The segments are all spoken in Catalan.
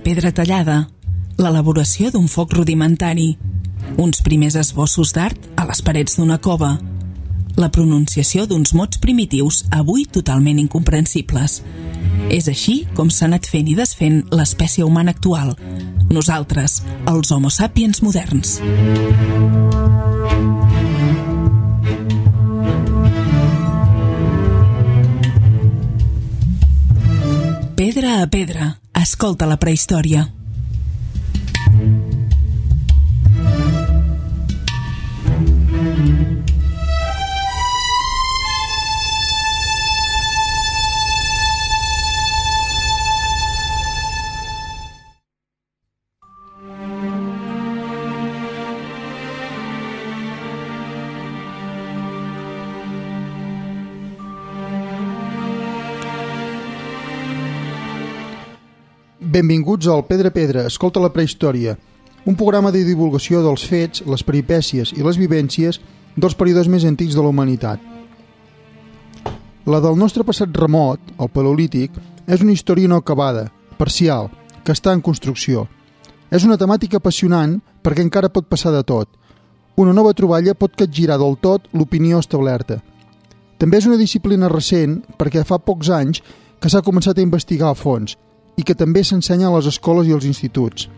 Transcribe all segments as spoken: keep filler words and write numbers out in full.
pedra tallada, l'elaboració d'un foc rudimentari, uns primers esbossos d'art a les parets d'una cova, la pronunciació d'uns mots primitius avui totalment incomprensibles. És així com s'ha anat fent i desfent l'espècie humana actual, nosaltres, els Homo sapiens moderns. Pedra a pedra, escolta la prehistòria. Benvinguts al Pedra a Pedra, escolta la prehistòria, un programa de divulgació dels fets, les peripècies i les vivències dels períodes més antics de la humanitat. La del nostre passat remot, el Paleolític, és una història no acabada, parcial, que està en construcció. És una temàtica apassionant perquè encara pot passar de tot. Una nova troballa pot capgirar del tot l'opinió establerta. També és una disciplina recent perquè fa pocs anys que s'ha començat a investigar a fons i que també s'ensenya a les escoles i als instituts.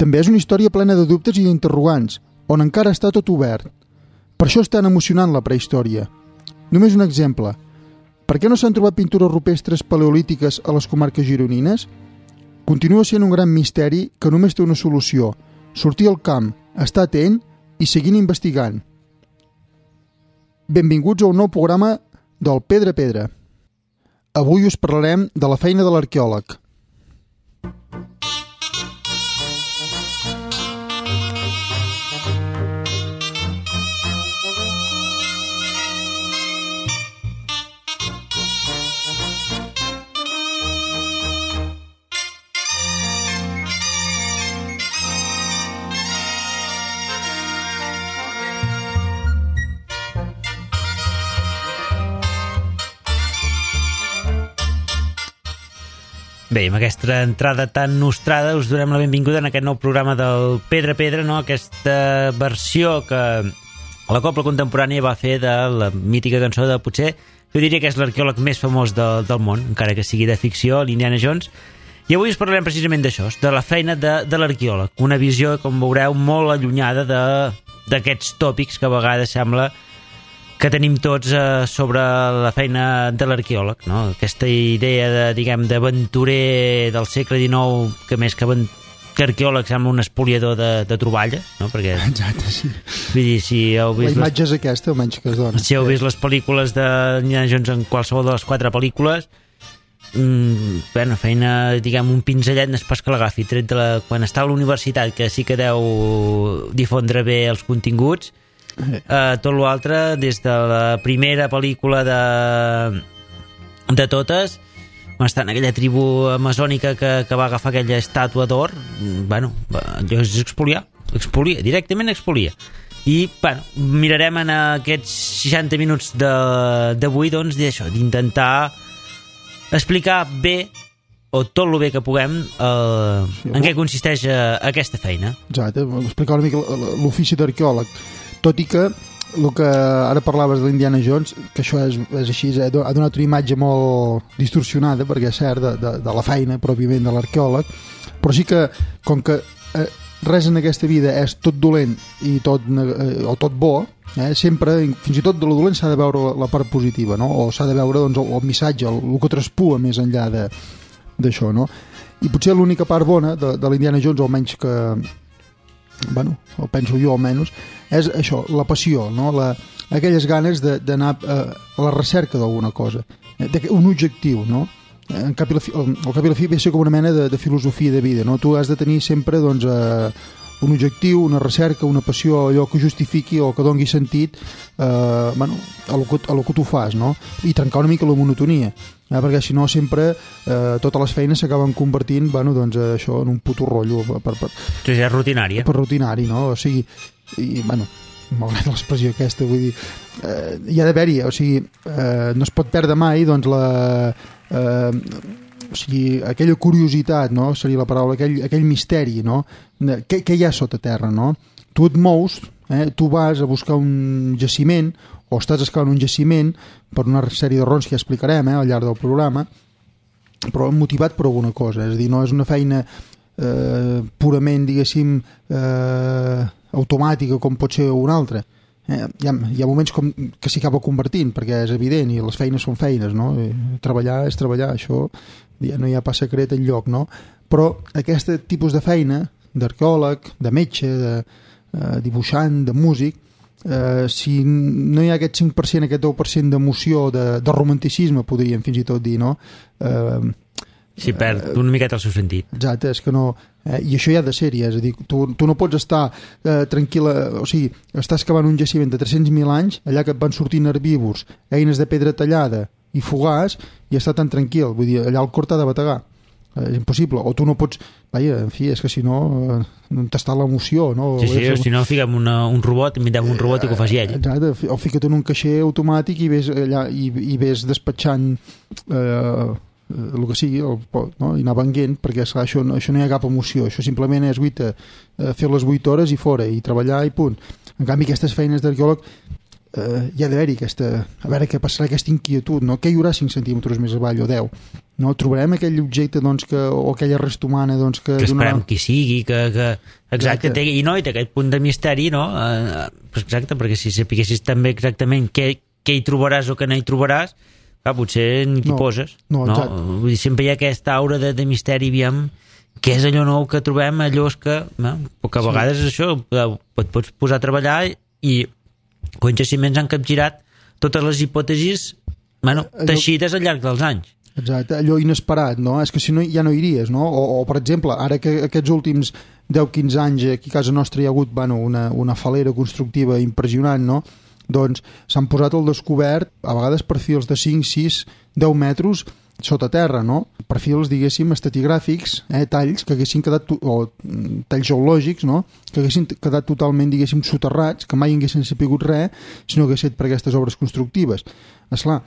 També és una història plena de dubtes i d'interrogants, on encara està tot obert. Per això és tan emocionant la prehistòria. Només un exemple. Per què no s'han trobat pintures rupestres paleolítiques a les comarques gironines? Continua sent un gran misteri que només té una solució: sortir al camp, estar atent i seguint investigant. Benvinguts a un nou programa del Pedra a Pedra. Avui us parlarem de la feina de l'arqueòleg. Bé, amb aquesta entrada tan nostrada us donem la benvinguda en aquest nou programa del Pedra a Pedra, no? Aquesta versió que la Cobla Contemporània va fer de la mítica cançó de, potser, jo diria que és l'arqueòleg més famós de, del món, encara que sigui de ficció, l'Indiana Jones. I avui us parlarem precisament d'això, de la feina de, de l'arqueòleg, una visió, com veureu, molt allunyada d'aquests tòpics que a vegades sembla que tenim tots eh, sobre la feina de l'arqueòleg, no? Aquesta idea de, diguem, d'aventurer del segle dinou, que més que, que arqueòleg sembla un espoliador de, de troballes, no? Perquè, exacte, sí. Vull dir, si heu vist... La imatge les... és aquesta, almenys que es dona. Si heu vist les pel·lícules de Indiana Jones en qualsevol de les quatre pel·lícules, mm, bueno, feina, diguem, un pinzellet no és pas que l'agafi, tret de la... quan està a la universitat, que sí que deu difondre bé els continguts. Uh, tot l'altre, des de la primera pel·lícula de, de totes, on està en aquella tribu amazònica que, que va agafar aquella estàtua d'or, bueno, allò és expoliar, expolia, directament expolia. I, bueno, mirarem en aquests seixanta minuts d'avui, doncs, d'això, d'intentar explicar bé, o tot el bé que puguem, eh, sí, en què consisteix eh, aquesta feina. Exacte, explicar una mica l'ofici d'arqueòleg. Tot i que el que ara parlaves de l'Indiana Jones, que això és, és així, ha donat una imatge molt distorsionada, perquè és cert, de, de, de la feina pròpiament de l'arqueòleg, però sí que, com que eh, res en aquesta vida és tot dolent i tot, eh, o tot bo, eh, sempre, fins i tot de lo dolent s'ha de veure la, la part positiva, no? O s'ha de veure doncs, el, el missatge, el, el que traspua més enllà d'això, no? I potser l'única part bona de, de l'Indiana Jones, almenys que... bueno, ho penso jo almenys, és això, la passió, no? La, aquelles ganes d'anar a, a la recerca d'alguna cosa, un objectiu, no? En cap i la fi, al cap i la fi ve a ser com una mena de, de filosofia de vida, no? Tu has de tenir sempre doncs, eh, un objectiu, una recerca, una passió, allò que justifiqui o que doni sentit eh, bueno, a lo que, a lo que tu fas, no? I trencar una mica la monotonia, eh? Perquè si no sempre eh, totes les feines s'acaben convertint, bueno, doncs, això en un puto rotllo per, per, per, sí, és rutinari, eh? per rutinari, no? O sigui, i, bueno, m'agrada l'expressió aquesta, vull dir, eh, hi ha d'haver-hi, o sigui, eh, no es pot perdre mai, doncs, la, eh, o sigui, aquella curiositat, no? Seria la paraula, aquell, aquell misteri, no? Què, què hi ha sota terra, no? Tu et mous, eh? Tu vas a buscar un jaciment o estàs excavant un jaciment per una sèrie de raons que ja explicarem eh, al llarg del programa, però motivat per alguna cosa, és a dir, no és una feina eh, purament, diguéssim, eh, automàtica com pot ser una altra. Eh, hi, ha, hi ha moments com que s'hi acaba convertint, perquè és evident i les feines són feines, no? Treballar és treballar, això ja no hi ha pas secret enlloc, no? Però aquest tipus de feina d'arqueòleg, de metge, de eh, dibuixant, de músic, eh, si no hi ha aquest cinc per cent, aquest deu per cent d'emoció, de, de romanticisme, podríem fins i tot dir, no? Eh, Sí, perd una miqueta el seu sentit. Exacte, és que no... Eh, I això ja ha de ser, ja, és a dir, tu, tu no pots estar eh, tranquil·la, o sigui, estàs cavant un jaciment de tres-cents mil anys, allà que et van sortint herbívors, eines de pedra tallada i fogars, i estar tan tranquil, vull dir, allà el cor t'ha de bategar. Eh, és impossible, o tu no pots... Vaja, en fi, és que si no, eh, no t'està l'emoció, no? Sí, sí, o si no, fiquem una, un robot, inventem un robot i que ho faci ell. Exacte, o fica't en un caixer automàtic i ves, allà, i, i ves despatxant... Eh, el que sigui, el, no? I anar venguent, perquè esclar, això, això no hi ha cap emoció, això simplement és guita, eh, fer les vuit hores i fora, i treballar i punt. En canvi, aquestes feines d'arqueòleg eh, hi ha d'haver-hi aquesta, a veure què passarà, aquesta inquietud, no? Què hi haurà cinc centímetres més avall o deu? No? Trobarem aquell objecte doncs, que, o aquella resta humana doncs, que... Que esperem donarà... qui sigui, que... que... Exacte, exacte. Té, i no, i té aquest punt de misteri, no? Eh, exacte, perquè si sapiguessis també exactament què, què hi trobaràs o què no hi trobaràs, ah, potser ni t'hi no, poses, no? no? Vull dir, sempre hi ha aquesta aura de, de misteri, aviam, què és allò nou que trobem, allò és que, no? Que a vegades sí. Això et pots posar a treballar i quan jaciments han capgirat totes les hipòtesis, bueno, allò... teixides al llarg dels anys. Exacte, allò inesperat, no? És que si no ja no iries, no? O, o per exemple, ara que aquests últims deu a quinze anys aquí a casa nostra hi ha hagut bueno, una, una falera constructiva impressionant, no? Doncs s'han posat al descobert a vegades perfils de cinc, sis, deu metres sota terra, no? Perfils, diguéssim, estratigràfics, eh, talls que haguessin quedat, o talls geològics, no? Que haguessin quedat totalment, diguéssim, soterrats, que mai haguessin sapigut res si no hagués fet per aquestes obres constructives. Esclar,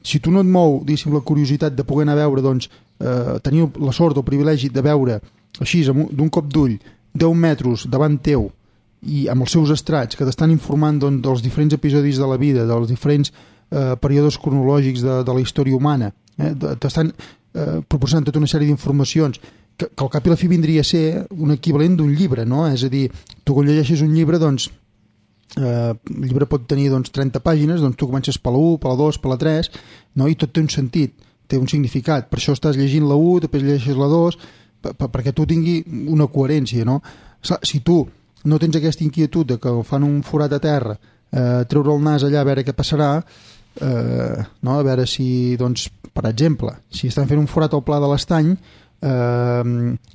si tu no et mou, diguéssim, la curiositat de poder anar a veure, doncs, eh, tenir la sort o el privilegi de veure així, d'un cop d'ull, deu metres davant teu, i amb els seus estrats que t'estan informant doncs, dels diferents episodis de la vida, dels diferents eh, períodes cronològics de, de la història humana, eh, t'estan eh, proporcionant tota una sèrie d'informacions que, que al cap i la fi vindria a ser un equivalent d'un llibre, no? És a dir, tu quan llegeixes un llibre, doncs eh, el llibre pot tenir doncs, trenta pàgines, doncs tu comences per la u, per la dos, per la tres, no? I tot té un sentit, té un significat, per això estàs llegint la u, després llegeixes la dos, per, per, perquè tu tingui una coherència, no? Si tu no tens aquesta inquietud de que fan un forat a terra, eh, treure el nas allà a veure què passarà, eh, no? A veure si, doncs, per exemple, si estan fent un forat al Pla de l'Estany eh,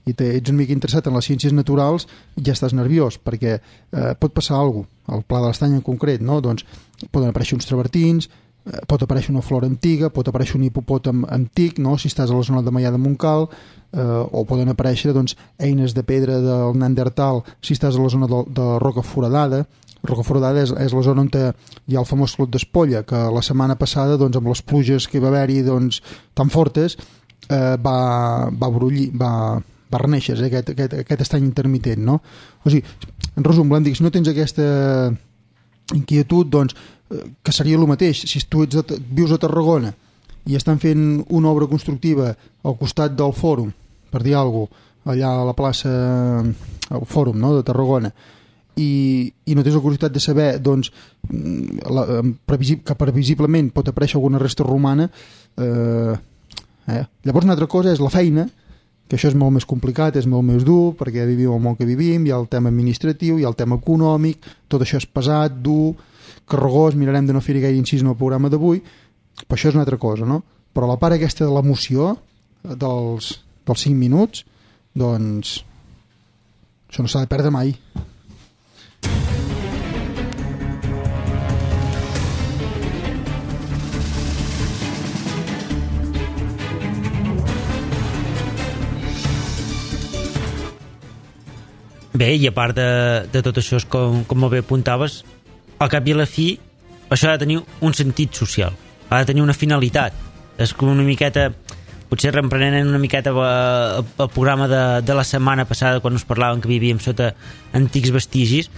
i te, ets una mica interessat en les ciències naturals, ja estàs nerviós, perquè eh, pot passar alguna cosa, al Pla de l'Estany en concret, no? Doncs poden aparèixer uns travertins, eh, pot aparèixer una flora antiga, pot aparèixer un hipopòtam antic, no? Si estàs a la zona de Maià de Montcal, eh, o poden aparèixer doncs, eines de pedra del Neandertal si estàs a la zona de, de Roca Foradada. Roca Foradada és, és la zona on hi ha el famós Clot d'Espolla, que la setmana passada, doncs, amb les pluges que va haver-hi doncs, tan fortes, eh, va, va brullir, va, va reneixer eh, aquest, aquest, aquest estany intermitent, no? O sigui, en resum, volem dir que si no tens aquesta inquietud, doncs, eh, que seria el mateix, si tu ets de, vius a Tarragona i estan fent una obra constructiva al costat del fòrum, per dir alguna cosa, allà a la plaça, al fòrum, no?, de Tarragona, i, i no tens la curiositat de saber doncs, la, que previsiblement pot aparèixer alguna resta romana, eh, eh? Llavors una altra cosa és la feina, que això és molt més complicat, és molt més dur, perquè vivim el món que vivim, hi ha el tema administratiu, hi ha el tema econòmic, tot això és pesat, dur, carregós, mirarem de no fer-hi gaire incís en el programa d'avui, però això és una altra cosa, no? Però la part aquesta de l'emoció dels, dels cinc minuts, doncs això no s'ha de perdre mai. Bé, i a part de, de tot això, com, com molt bé apuntaves, al cap i a la fi això ha de tenir un sentit social, ha de tenir una finalitat. És com una miqueta potser reprenent una miqueta el, el programa de, de la setmana passada quan us parlàvem que vivíem sota antics vestigis,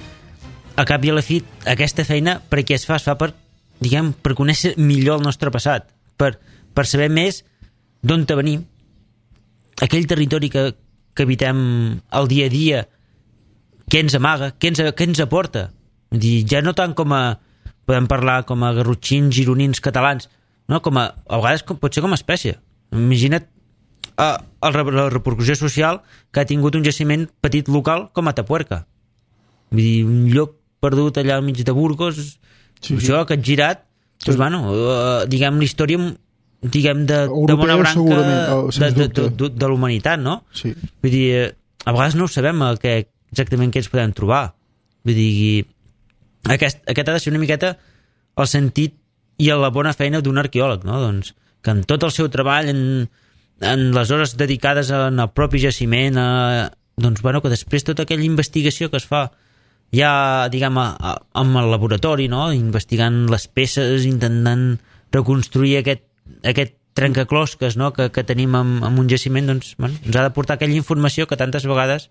a cap i a la fi aquesta feina per què es fa? Es fa per, diguem, per conèixer millor el nostre passat, per, per saber més d'on te venim, aquell territori que, que habitem el dia a dia, què ens amaga, què ens, què ens aporta. Vull dir, ja no tant com a podem parlar com a garrotxins, gironins, catalans, no? Com a, a vegades com, pot ser com a espècie. Imagina't uh, la repercussió social que ha tingut un jaciment petit local com a Tapuerca. Vull dir, un lloc perdut allà al mig de Burgos, sí, això sí. Que ha girat, sí. Doncs, bueno, uh, diguem, la història diguem, de, de bona branca oh, de, de, de, de, de la humanitat, no? Sí. Vull dir, a vegades no ho sabem el que, exactament què ens podem trobar. Vull dir, aquest, aquest ha de ser una miqueta el sentit i la bona feina d'un arqueòleg, no? Doncs, que en tot el seu treball, en, en les hores dedicades en el propi jaciment, a, doncs, bueno, que després tota aquella investigació que es fa ja, diguem, a, a, amb el laboratori, no? Investigant les peces, intentant reconstruir aquest, aquest trencaclosques, no? que, que tenim en, en un jaciment, doncs, bueno, ens ha de portar aquella informació que tantes vegades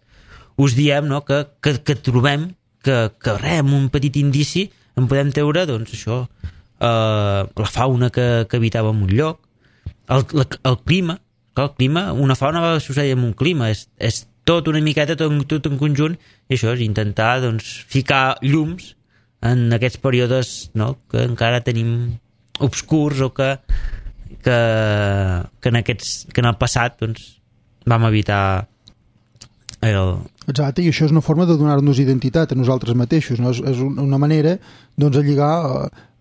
us diem, no? que, que, que trobem, que, que res, amb un petit indici en podem treure, doncs, això, eh, la fauna que, que habitava en un lloc, el, el, el clima, el clima, una fauna va succeir en un clima, és, és tot una miqueta, tot, tot en conjunt, i això és intentar, doncs, ficar llums en aquests períodes, no?, que encara tenim obscurs o que, que, que, en, aquests, que en el passat, doncs, vam evitar el... Exacte, i això és una forma de donar-nos identitat a nosaltres mateixos, no? És, és una manera, doncs, de lligar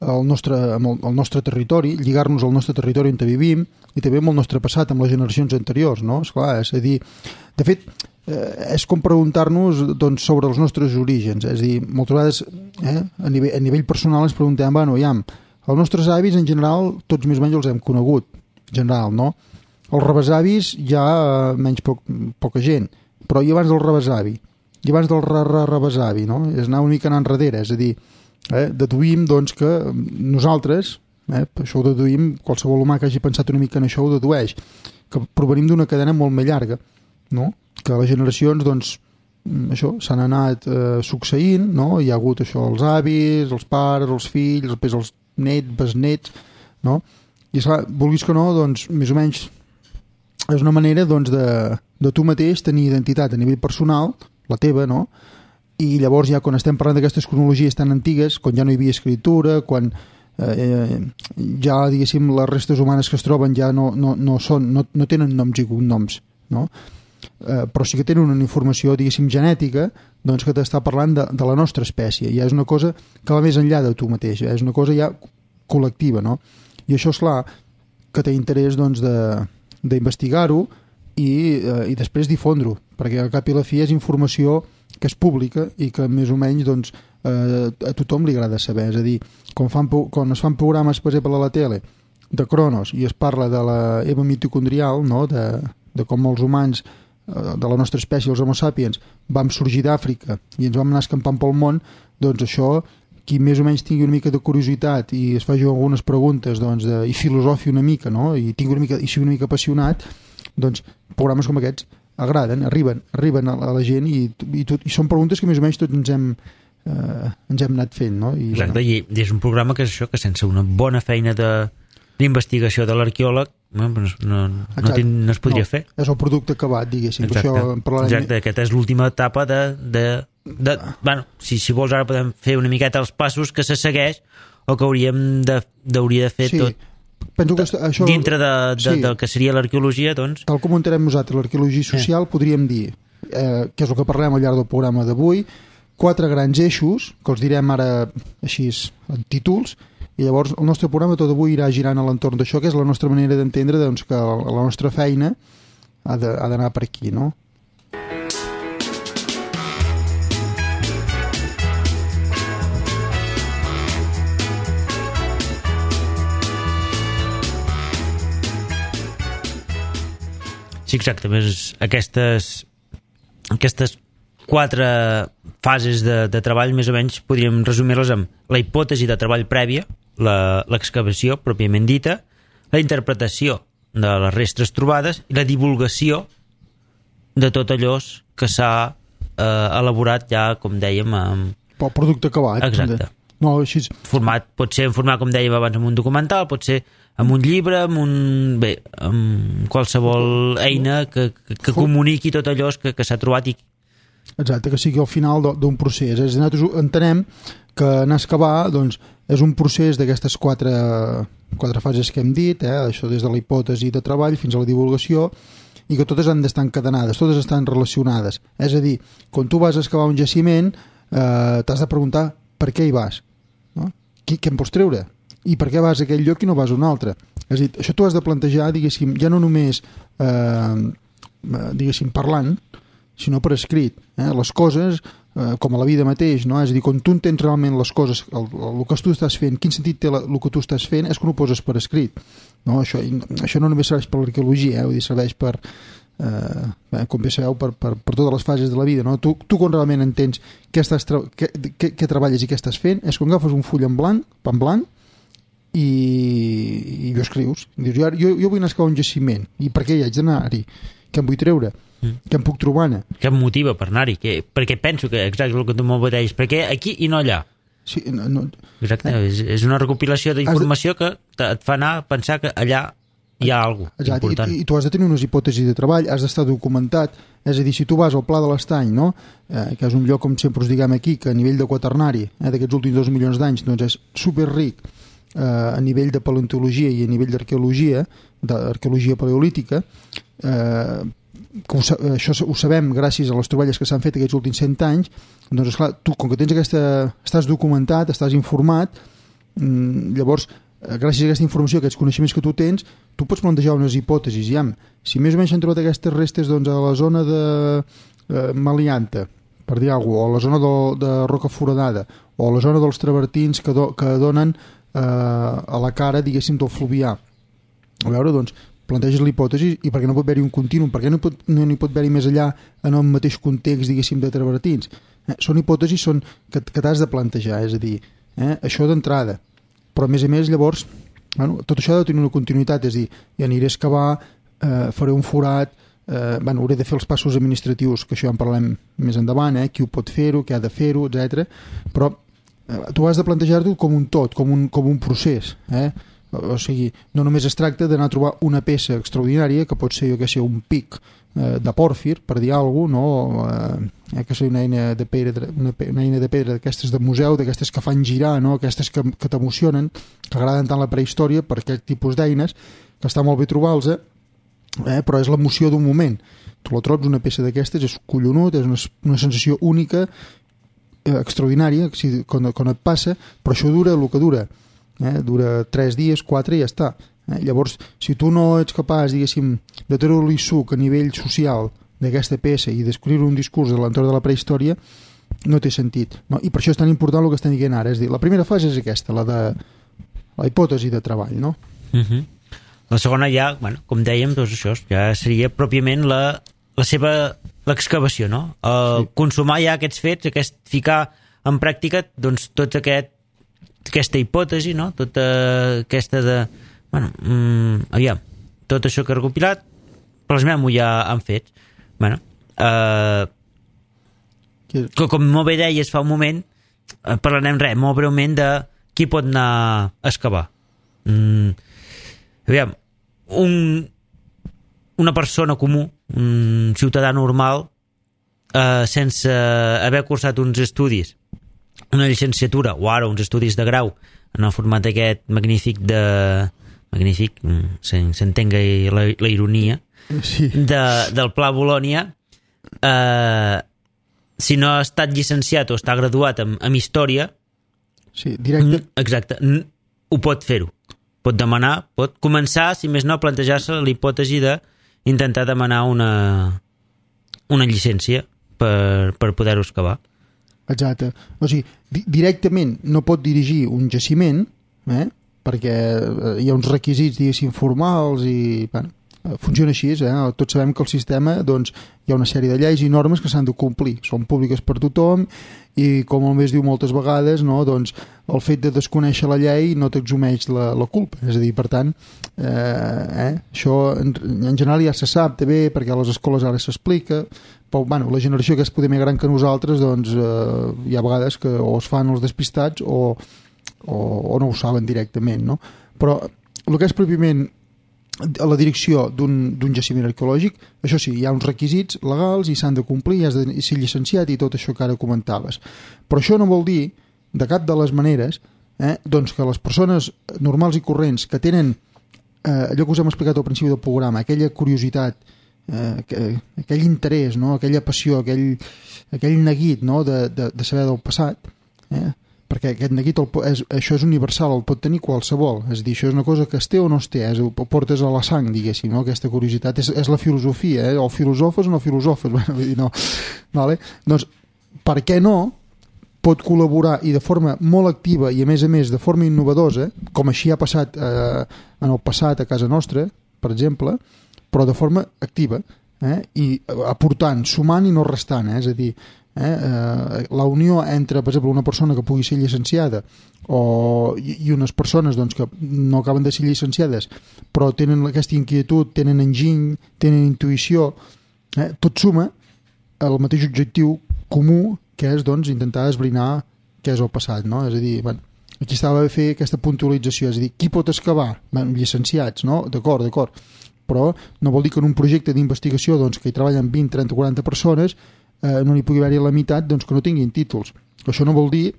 el nostre, amb el, el nostre territori, lligar-nos al nostre territori on vivim i també amb el nostre passat, amb les generacions anteriors, no? Esclar, és a dir, de fet, eh, és com preguntar-nos, doncs, sobre els nostres orígens, és a dir, moltes vegades, eh, a, nivell, a nivell personal ens preguntem, bueno, ja, els nostres avis, en general, tots més o menys els hem conegut, en general, no? Els rebesavis, ja eh, menys poc, poca gent, però i abans del rebesavi, i abans del re-re-rebesavi, no? És anar una mica anant enrere, és a dir, eh, deduïm, doncs, que nosaltres, eh, això ho deduïm, qualsevol humà que hagi pensat una mica en això ho dedueix, que provenim d'una cadena molt més llarga, no? Que les generacions, doncs, això, s'han anat eh, succeint, no? Hi ha hagut això, els avis, els pares, els fills, després els nets, besnets, no? I esclar, vulguis que no, doncs, més o menys és una manera, doncs, de, de tu mateix tenir identitat a nivell personal, la teva, no? I llavors ja quan estem parlant d'aquestes cronologies tan antigues, quan ja no hi havia escriptura, quan eh, ja, diguéssim, les restes humanes que es troben ja no, no, no, són, no, no tenen noms i cognoms, no? Eh, però sí que tenen una informació, diguéssim, genètica, doncs, que t'està parlant de, de la nostra espècie. Ja és una cosa que va més enllà de tu mateix, és una cosa ja col·lectiva, no? I això, és clar, que té interès, doncs, de d'investigar-ho i, eh, i després difondre-ho, perquè al cap i la fi és informació que és pública i que més o menys, doncs, eh, a tothom li agrada saber. És a dir, quan, fan, quan es fan programes, per exemple, a la tele de Cronos i es parla de la Eva mitocondrial, no? de, de com els humans eh, de la nostra espècie, els homo sapiens, vam sorgir d'Àfrica i ens vam anar escampant pel món, doncs això, qui més o menys tingui una mica de curiositat i es faci algunes preguntes, doncs, de, i filosofi una mica, no? I tingui una mica, i sigui una mica apassionat, doncs programes com aquests agraden, arriben, arriben a la, a la gent i, i, tot, i són preguntes que més o menys tots ens hem, eh, ens hem anat fent, no? I, exacte, bueno, i és un programa que és això, que sense una bona feina de d'investigació de l'arqueòleg no, no, no, no, ten, no es podria no, fer. És el producte acabat, diguéssim. Exacte, això parlarem... exacte, aquesta és l'última etapa de... de, de bueno, si, si vols ara podem fer una miqueta els passos que se segueix o que hauríem de, hauria de fer sí, tot penso que això, dintre de, de, sí, del que seria l'arqueologia, doncs... Tal com ho entenem nosaltres, l'arqueologia social, sí, podríem dir, eh, que és el que parlem al llarg del programa d'avui, quatre grans eixos, que els direm ara així en títols, i llavors el nostre programa tot avui irà girant a l'entorn d'això, que és la nostra manera d'entendre, doncs, que la nostra feina ha d'anar per aquí, no? Sí, exacte, més aquestes aquestes quatre fases de, de treball més o menys podríem resumir-les amb la hipòtesi de treball prèvia, l'excavació pròpiament dita, la interpretació de les restes trobades i la divulgació de tot allò que s'ha eh, elaborat ja, com dèiem, amb... pel producte acabat. Exacte. No, així... Format, pot ser en format, com dèiem abans, amb un documental, pot ser amb un llibre, amb un... bé, amb qualsevol eina que, que, que comuniqui tot allò que, que s'ha trobat i... Exacte, que sigui al final d'un procés. És a dir, nosaltres entenem que anar a excavar, doncs, és un procés d'aquestes quatre, quatre fases que hem dit, eh? Això des de la hipòtesi de treball fins a la divulgació, i que totes han d'estar encadenades, totes estan relacionades. És a dir, quan tu vas a excavar un jaciment, eh, t'has de preguntar per què hi vas, no? Què, què en pots treure? I per què vas a aquell lloc i no vas a un altre? És a dir, això t'ho has de plantejar, diguéssim, ja no només eh, diguéssim, parlant, sinó per escrit. Eh? Les coses, eh, com a la vida mateix, no? És a dir, quan tu entens realment les coses, el, el, el que tu estàs fent, quin sentit té la, el que tu estàs fent, és quan ho poses per escrit. No? Això, això no només serveix per l'arqueologia, eh? Vull dir, serveix per, eh, bé, com bé sabeu, per, per, per totes les fases de la vida. No? Tu, tu quan realment entens què, estàs tra què, què, què treballes i què estàs fent, és quan agafes un full en blanc, en blanc, i, i ho escrius. Dius, jo, jo, jo vull anar a excavar un jaciment, i per què hi haig d'anar-hi? Què em vull treure? Mm. Què em puc trobar-ne? Què em motiva per anar-hi? Perquè penso que, exacte el que tu m'ho deies, per què aquí i no allà? Sí, no, no. Exacte, eh? és, és una recopilació d'informació de... que et fa anar a pensar que allà hi ha alguna cosa important. I, I tu has de tenir unes hipòtesis de treball, has d'estar documentat, és a dir, si tu vas al Pla de l'Estany, no? eh, que és un lloc, com sempre us diguem aquí, que a nivell de quaternari, eh, d'aquests últims dos milions d'anys, doncs és superric eh, a nivell de paleontologia i a nivell d'arqueologia, d'arqueologia paleolítica, eh, que ho, això ho sabem gràcies a les troballes que s'han fet aquests últims cent anys, doncs esclar, tu com que tens aquesta, estàs documentat, estàs informat, llavors gràcies a aquesta informació, a aquests coneixements que tu tens, tu pots plantejar unes hipòtesis. Ja, si més o menys s'han trobat aquestes restes doncs, a la zona de eh, Malianta, per dir alguna cosa, o a la zona de, de Roca Foradada, o a la zona dels travertins que, do, que donen eh, a la cara, diguéssim, del Fluvià. A veure, doncs, planteges l'hipòtesi i perquè no pot haver-hi un continu, perquè no, pot, no hi pot haver-hi més allà en el mateix context, diguéssim, de travertins. Eh, són hipòtesis són que, que t'has de plantejar, és a dir, eh, això d'entrada. Però a més a més, llavors, bueno, tot això ha de tenir una continuïtat, és a dir, ja aniré a excavar, eh, faré un forat, eh, bueno, hauré de fer els passos administratius, que això ja en parlem més endavant, eh, qui ho pot fer-ho, qui ha de fer-ho, etcètera. Però eh, tu has de plantejar-t'ho com un tot, com un, com un procés, eh? O sigui, no només es tracta d'anar a trobar una peça extraordinària, que pot ser, jo que sé, un pic eh, de pòrfir, per dir alguna cosa, no? Eh, que sigui una eina de pedra, una, una eina de pedra d'aquestes de museu, d'aquestes que fan girar, no? Aquestes que, que t'emocionen, que agraden tant la prehistòria per aquest tipus d'eines, que està molt bé trobar-los, eh? Però és l'emoció d'un moment. Tu la trobes, una peça d'aquestes, és collonut, és una, una sensació única, eh, extraordinària, si, quan, quan et passa, però això dura el que dura. Eh, dura tres dies, quatre i ja està. Eh, llavors, si tu no ets capaç, diguéssim, de treure-li suc a nivell social d'aquesta peça i d'escriure un discurs de l'entorn de la prehistòria, no té sentit. No? I per això és tan important el que estem dient ara. És dir, la primera fase és aquesta, la de la hipòtesi de treball, no? Uh -huh. La segona ja, bueno, com dèiem, doncs això ja seria pròpiament la, la seva l'excavació, no? El sí. Consumar ja aquests fets, aquest, ficar en pràctica doncs tot aquest aquesta hipòtesi, no? Tota aquesta de... Bueno, mmm, aviam, tot això que he recopilat, plasmem-ho ja en fets. Bueno, eh, que, com molt bé deies fa un moment, eh, parlarem res, molt breument de qui pot anar a excavar. Mm, aviam, un, una persona comú, un ciutadà normal, eh, sense haver cursat uns estudis, una llicenciatura o ara uns estudis de grau en el format aquest magnífic de magnífic, s'entenga la, la ironia sí. de, del Pla Bolònia, eh, si no ha estat llicenciat o està graduat en, en història, sí, directe. Exacte, ho pot fer-ho, pot demanar, pot començar, si més no, a plantejar-se la hipòtesi d'intentar demanar una una llicència per, per poder-ho excavar. Exacte. O sigui, di directament no pot dirigir un jaciment, eh? Perquè hi ha uns requisits, diguéssim, formals i, bueno, funciona així, eh? Tots sabem que el sistema, doncs, hi ha una sèrie de lleis i normes que s'han de complir, són públiques per tothom i, com el més diu moltes vegades, no? Doncs el fet de desconèixer la llei no t'exumeix la, la culpa, és a dir, per tant eh, eh, això en, en general ja se sap també, perquè a les escoles ara s'explica, però bueno, la generació que és poder més gran que nosaltres, doncs eh, hi ha vegades que o es fan els despistats o, o, o no ho saben directament, no? Però el que és pròpiament a la direcció d'un jaciment arqueològic, això sí, hi ha uns requisits legals i s'han de complir, has de ser llicenciat i tot això que ara comentaves. Però això no vol dir, de cap de les maneres, eh, doncs que les persones normals i corrents que tenen eh, allò que us hem explicat al principi del programa, aquella curiositat, eh, que, aquell interès, no? Aquella passió, aquell, aquell neguit, no? de, de, de saber del passat, eh? perquè aquest neguit el, és, això és universal, el pot tenir qualsevol, és a dir, això és una cosa que es té o no es té, és, ho portes a la sang, diguéssim, no? Aquesta curiositat és, és la filosofia, eh? O filosofes o no filosofes, bueno, vull dir, no. Vale? Doncs, per què no pot col·laborar i de forma molt activa i a més a més de forma innovadosa, com així ha passat eh, en el passat a casa nostra, per exemple, però de forma activa, eh? I aportant, sumant i no restant, eh? És a dir, Eh, eh, la unió entre, per exemple, una persona que pugui ser llicenciada o, i, i unes persones doncs, que no acaben de ser llicenciades però tenen aquesta inquietud, tenen enginy, tenen intuïció, eh, tot suma al mateix objectiu comú, que és doncs, intentar esbrinar què és el passat, no? És a dir, bueno, aquí estava a fer aquesta puntualització, és a dir, qui pot excavar? Bueno, llicenciats, no? D'acord, d'acord, però no vol dir que en un projecte d'investigació doncs, que hi treballen vint, trenta, quaranta persones Eh, no n'hi pugui haver-hi la meitat doncs, que no tinguin títols. Això no vol dir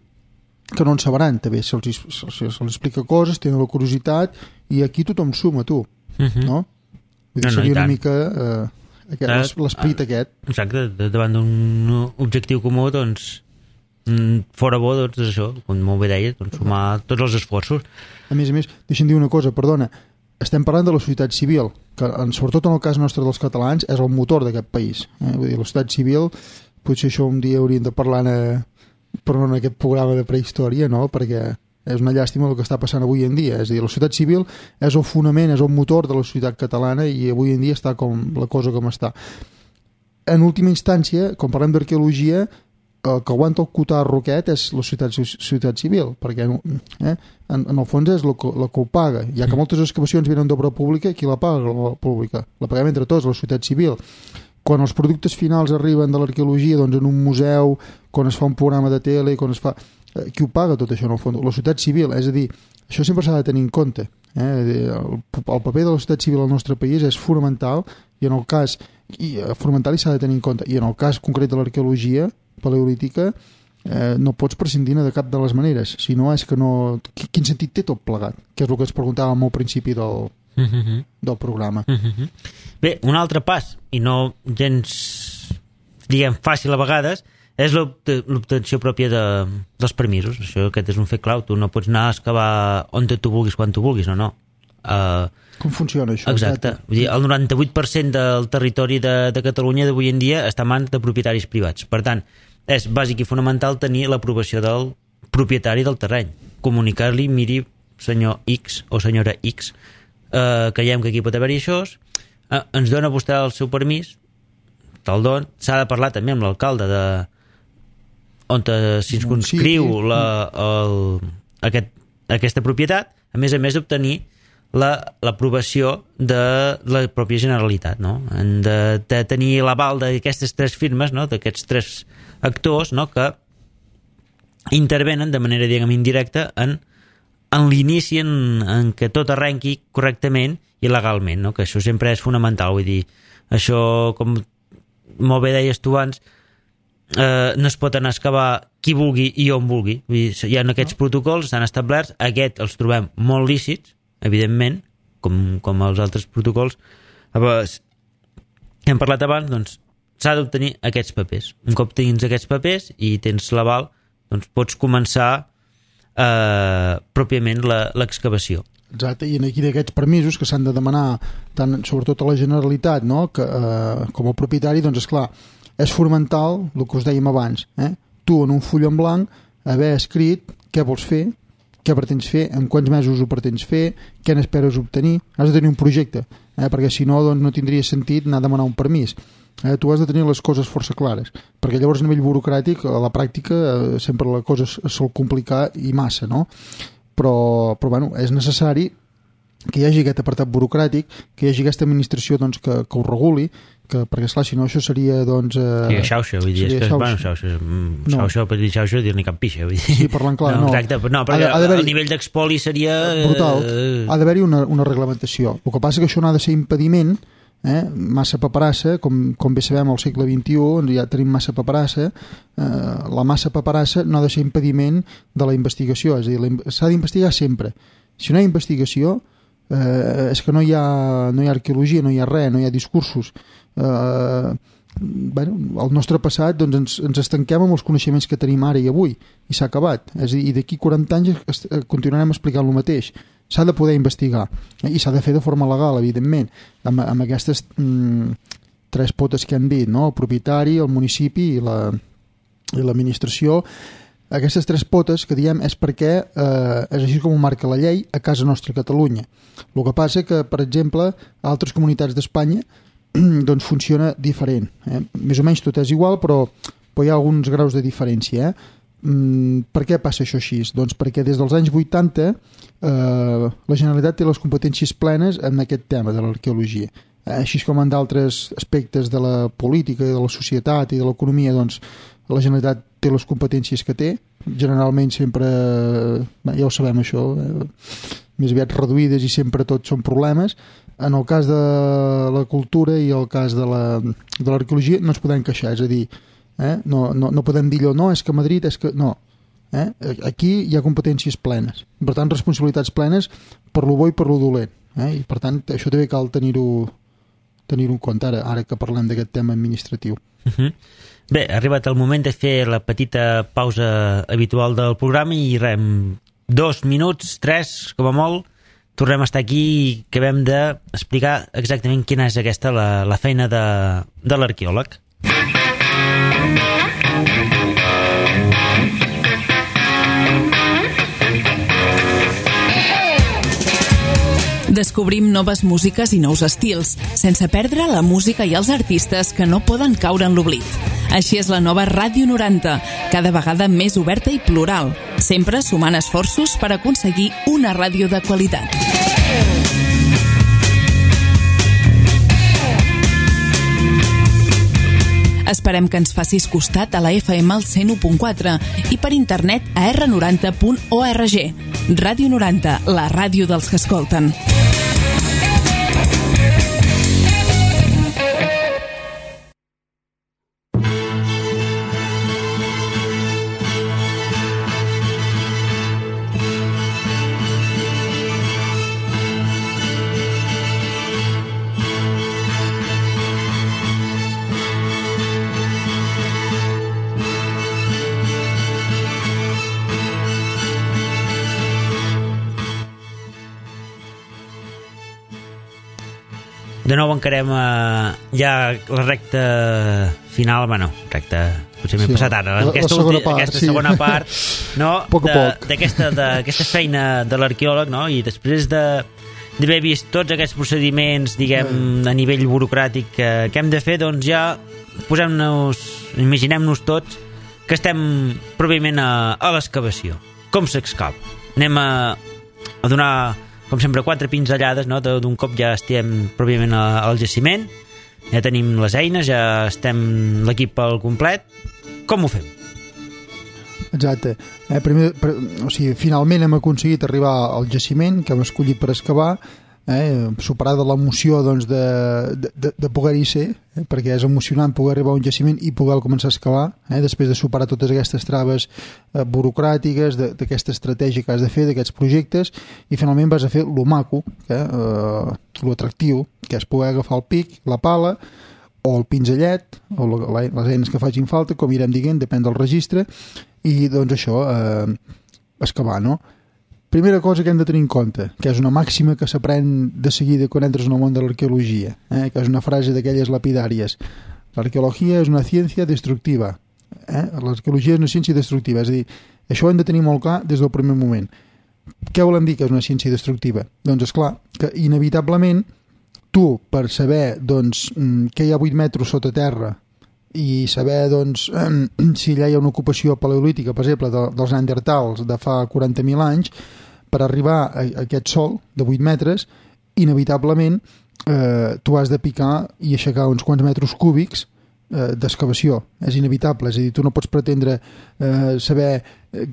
que no en sabran, també se'ls se se se explica coses, tenen la curiositat i aquí tothom suma, tu, uh -huh. no? Vull dir, no, no, seria una mica eh, l'esperit ah, aquest. Exacte, davant d'un objectiu comú, doncs fora bo, doncs això, com molt bé deia, doncs, sumar tots els esforços. A més a més, deixa'm dir una cosa, perdona, estem parlant de la societat civil, que sobretot en el cas nostre dels catalans és el motor d'aquest país. Eh? Vull dir, la societat civil, potser això un dia hauríem de parlar en, però en aquest programa de prehistòria, no? Perquè és una llàstima el que està passant avui en dia. És a dir, la societat civil és el fonament, és el motor de la societat catalana i avui en dia està com la cosa com està. En última instància, quan parlem d'arqueologia, el que aguanta el cotarro aquest és la societat, societat civil, perquè eh, en, en el fons és el que, el que ho paga. Ja que moltes excavacions venen d'obra pública, qui la paga? La pública. La paguem entre tots, la societat civil. Quan els productes finals arriben de l'arqueologia doncs en un museu, quan es fa un programa de tele, quan es fa... Eh, qui ho paga tot això en el fons? La societat civil, és a dir, això sempre s'ha de tenir en compte. Eh? El, el paper de la societat civil al nostre país és fonamental i en el cas i, fonamental i s'ha de tenir en compte. I en el cas concret de l'arqueologia paleolítica eh, no pots prescindir de cap de les maneres, si no és que no... Quin sentit té tot plegat? Que és el que ens preguntàvem al principi del, uh-huh. del programa. Uh-huh. Bé, un altre pas, i no gens, diguem, fàcil a vegades, és l'obtenció pròpia de, dels permisos. Això, aquest és un fet clau. Tu no pots anar a excavar on tu vulguis, quan tu vulguis, no, no. Uh, Com funciona això? Exacte. Vull dir, el noranta-vuit per cent del territori de, de Catalunya d'avui en dia està en mans de propietaris privats. Per tant, és bàsic i fonamental tenir l'aprovació del propietari del terreny. Comunicar-li, miri, senyor X o senyora X, eh, creiem que aquí pot haver-hi això, eh, ens dona vostè el seu permís, te'l don, s'ha de parlar també amb l'alcalde de on s'inscriu la, el, aquest, aquesta propietat, a més a més d'obtenir l'aprovació de la pròpia Generalitat, no? Han de, de tenir l'aval d'aquestes tres firmes, no? D'aquests tres actors, no? Que intervenen de manera, diguem, indirecta en, en l'inici en, en què tot arrenqui correctament i legalment, no? Que això sempre és fonamental, vull dir, això, com molt bé deies tu abans, eh, no es pot anar a excavar qui vulgui i on vulgui. Vull dir, hi ha aquests protocols, estan establerts, aquests els trobem molt lícits, evidentment, com, com els altres protocols hem parlat abans, doncs s'ha d'obtenir aquests papers. Un cop tens aquests papers i tens l'aval, doncs pots començar eh, pròpiament l'excavació. Exacte, i aquí d'aquests permisos que s'han de demanar tant, sobretot a la Generalitat, no? que, eh, com a propietari, doncs esclar, és fonamental el que us dèiem abans, eh? Tu en un full en blanc haver escrit què vols fer, què pretens fer, en quants mesos ho pretens fer, què n'esperes obtenir. Has de tenir un projecte, eh? perquè si no, doncs, no tindria sentit anar a demanar un permís. Eh? Tu has de tenir les coses força clares, perquè llavors a nivell burocràtic, a la pràctica, eh, sempre la cosa es, es sol complicar i massa, no? Però, però bueno, és necessari que hi hagi aquest apartat burocràtic, que hi hagi aquesta administració doncs, que, que ho reguli, que, perquè esclar, si no això seria doncs... Eh, sí, xauxa, vull dir, és que, bueno, xauxa, xauxa, per dir xauxa, dir-ne cap pixa, vull dir. Sí, parlant clar, no. no. Exacte, no, perquè ha, ha el nivell d'expoli seria... Brutal, ha d'haver-hi una, una reglamentació. El que passa que això no ha de ser impediment, eh? Massa paperassa, com, com bé sabem al segle vint-i-u, ja tenim massa paperassa, eh, la massa paperassa no ha de ser impediment de la investigació, és a dir, s'ha d'investigar sempre. Si no hi ha investigació, eh, és que no hi ha, no hi ha arqueologia, no hi ha res, no hi ha discursos. Eh, bueno, el nostre passat doncs ens, ens estanquem amb els coneixements que tenim ara i avui i s'ha acabat, és a dir, i d'aquí quaranta anys continuarem explicant el mateix. S'ha de poder investigar i s'ha de fer de forma legal, evidentment, amb, amb aquestes mm, tres potes que han dit, no? El propietari, el municipi i la, i l'administració. Aquestes tres potes que diem és perquè eh, és així com ho marca la llei a casa nostra a Catalunya. El que passa que, per exemple, a altres comunitats d'Espanya doncs funciona diferent. Eh? Més o menys tot és igual, però, però hi ha alguns graus de diferència. Eh? Mm, per què passa això així? Doncs perquè des dels anys vuitanta eh, la Generalitat té les competències plenes en aquest tema de l'arqueologia. Eh? Així com en d'altres aspectes de la política, de la societat i de l'economia, doncs la Generalitat té les competències que té, generalment sempre, eh, ja ho sabem això, eh, més aviat reduïdes i sempre tots són problemes. En el cas de la cultura i el cas de la, de l'arqueologia no ens podem queixar, és a dir, eh, no, no, no podem dir allò, no, és que Madrid, és que... No, eh? Aquí hi ha competències plenes, per tant responsabilitats plenes per lo bo i per lo dolent, eh? I per tant això també cal tenir-ho tenir-ho en compte ara, ara que parlem d'aquest tema administratiu. Uh-huh. Bé, ha arribat el moment de fer la petita pausa habitual del programa i rem, dos minuts, tres, com a molt, tornem a estar aquí i acabem d'explicar exactament quina és aquesta la, la feina de, de l'arqueòleg. Descobrim noves músiques i nous estils, sense perdre la música i els artistes que no poden caure en l'oblit. Així és la nova Ràdio noranta, cada vegada més oberta i plural, sempre sumant esforços per aconseguir una ràdio de qualitat. Esperem que ens facis costat a la F M al cent u punt quatre i per internet a erre noranta punt org. Ràdio noranta, la ràdio dels que escolten. De nou encarem eh, ja la recta final, bueno, recta, potser m'he sí, passat ara, la, aquesta, la segona ulti, part, aquesta sí. segona part, no, poc a poc. d'aquesta feina de l'arqueòleg, no? I després de d'haver vist tots aquests procediments, diguem, mm. a nivell burocràtic que, que hem de fer, doncs ja posem-nos, imaginem-nos tots que estem pròpiament a, a l'excavació. Com s'excava? Anem a, a donar, com sempre, quatre pinzellades, no? D'un cop ja estem pròpiament al jaciment, ja tenim les eines, ja estem l'equip al complet. Com ho fem? Exacte. Eh, primer, per, o sigui, finalment hem aconseguit arribar al jaciment que hem escollit per excavar, eh, superar de l'emoció doncs, de, de, de poder-hi ser, eh, perquè és emocionant poder arribar a un jaciment i poder començar a excavar, eh, després de superar totes aquestes traves eh, burocràtiques, d'aquesta estratègia que has de fer, d'aquests projectes, i finalment vas a fer lo maco, eh, eh, lo atractiu, que és poder agafar el pic, la pala, o el pinzellet, o la, les eines que facin falta, com irem dient, depèn del registre, i doncs això, eh, excavar, no? Primera cosa que hem de tenir en compte, que és una màxima que s'aprèn de seguida quan entres en el món de l'arqueologia, eh, que és una frase d'aquelles lapidàries. L'arqueologia és una ciència destructiva. Eh? L'arqueologia és una ciència destructiva, és a dir, això ho hem de tenir molt clar des del primer moment. Què volem dir que és una ciència destructiva? Doncs és clar que inevitablement tu, per saber doncs, que hi ha vuit metres sota terra i saber doncs, si allà hi ha una ocupació paleolítica, per exemple, de, dels neandertals de fa quaranta mil anys, per arribar a, a aquest sòl de vuit metres, inevitablement eh, tu has de picar i aixecar uns quants metres cúbics eh, d'excavació. És inevitable, és a dir, tu no pots pretendre eh, saber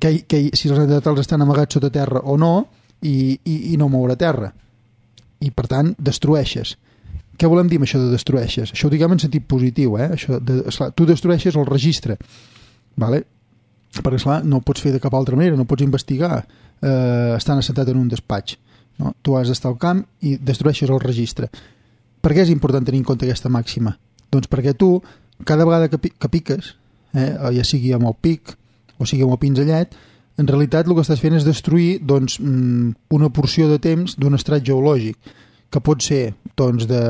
que, que, si els neandertals estan amagats sota terra o no i, i, i no moure terra. I, per tant, destrueixes. Què volem dir amb això de destrueixes? Això ho diguem en sentit positiu, eh? Això de, esclar, tu destrueixes el registre, vale? Perquè, esclar, no ho pots fer de cap altra manera, no pots investigar eh, estant assentat en un despatx. No? Tu has d'estar al camp i destrueixes el registre. Per què és important tenir en compte aquesta màxima? Doncs perquè tu, cada vegada que, pi que piques, eh, ja sigui amb el pic o sigui amb el pinzellet, en realitat el que estàs fent és destruir doncs, una porció de temps d'un estrat geològic, que pot ser doncs, de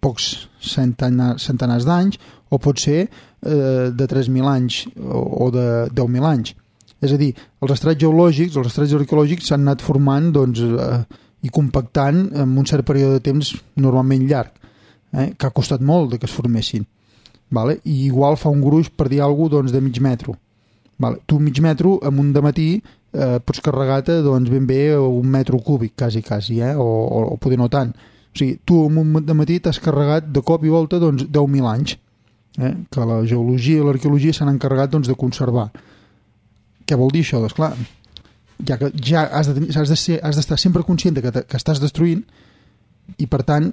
pocs centenars, centenars d'anys o pot ser eh, de tres mil anys o, o de deu mil anys. És a dir, els estrats geològics, els estrats arqueològics s'han anat formant doncs, eh, i compactant en un cert període de temps normalment llarg, eh, que ha costat molt de que es formessin. Vale? I igual fa un gruix, per dir alguna cosa, doncs, de mig metro. Vale? Tu mig metro, en un dematí, eh, pots carregar-te doncs, ben bé un metro cúbic, quasi, quasi, eh? o, o, o poder no tant. O sigui, tu en un dematí t'has carregat de cop i volta doncs, deu mil anys, eh? que la geologia i l'arqueologia s'han encarregat doncs, de conservar. Què vol dir això? Doncs clar, ja que ja has de, has de ser, has d'estar sempre conscient de que, te, que estàs destruint i per tant,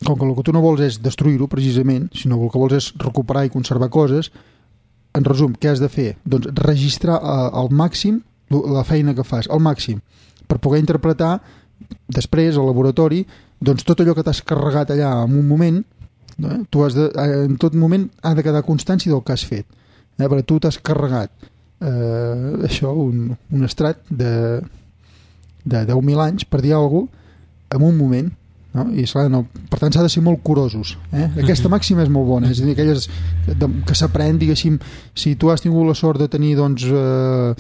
com que el que tu no vols és destruir-ho precisament, sinó que el que vols és recuperar i conservar coses, en resum, què has de fer? Doncs registrar eh, al màxim la feina que fas, al màxim, per poder interpretar després al laboratori doncs tot allò que t'has carregat allà en un moment, eh? tu has de, en tot moment ha de quedar constància del que has fet, eh? perquè tu t'has carregat eh, això, un, un estrat de, de deu mil anys, per dir alguna cosa, en un moment, no? I esclar, no. Per tant s'ha de ser molt curosos, eh? Aquesta màxima és molt bona, és a dir, aquelles que s'aprèn, diguéssim, si tu has tingut la sort de tenir doncs eh,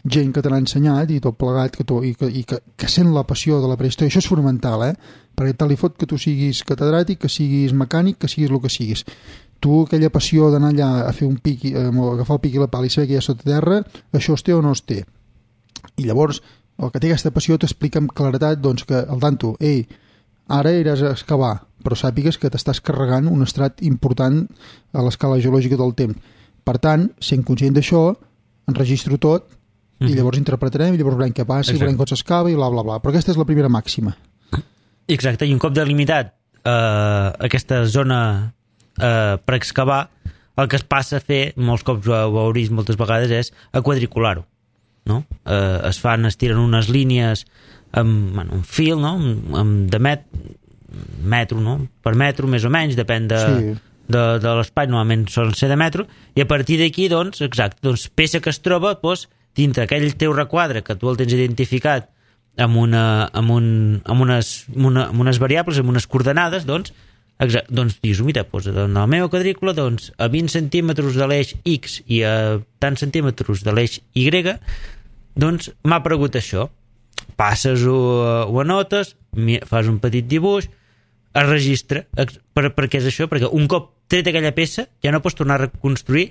gent que te l'ha ensenyat i tot plegat que tu, i, que, i que, que sent la passió de la prehistòria, això és fonamental, eh? Perquè tal i fot que tu siguis catedràtic, que siguis mecànic, que siguis el que siguis, tu aquella passió d'anar allà a fer un pic, eh, agafar el pic i la pala i saber que hi ha sota terra, això es té o no es té. I llavors el que té aquesta passió t'explica amb claretat doncs, que el tanto, ei, ara iràs a excavar, però sàpigues que t'estàs carregant un estrat important a l'escala geològica del temps. Per tant, sent conscient d'això, enregistro tot mm-hmm. i llavors interpretarem i llavors veurem què passa, i veurem com s'excava i bla, bla, bla. Però aquesta és la primera màxima. Exacte, i un cop delimitat eh, aquesta zona eh, per excavar, el que es passa a fer, molts cops ho veurís moltes vegades, és a quadricular-ho. No? Eh, es fan, es tiren unes línies amb bueno, un fil, no? amb, de met, metro, no? per metro més o menys, depèn de, sí. de, de l'espai, normalment solen ser de metro, i a partir d'aquí, doncs, exacte, doncs, peça que es troba doncs, dintre aquell teu requadre que tu el tens identificat amb, una, amb, un, amb, unes, amb, una, amb unes variables, amb unes coordenades, doncs, exacte, doncs dius, mira, doncs, en la meva quadrícula, doncs, a vint centímetres de l'eix X i a tants centímetres de l'eix Y, doncs m'ha aparegut això. Passes o, o anotes, fas un petit dibuix, es registra. Per, per què és això? Perquè un cop tret aquella peça ja no pots tornar a reconstruir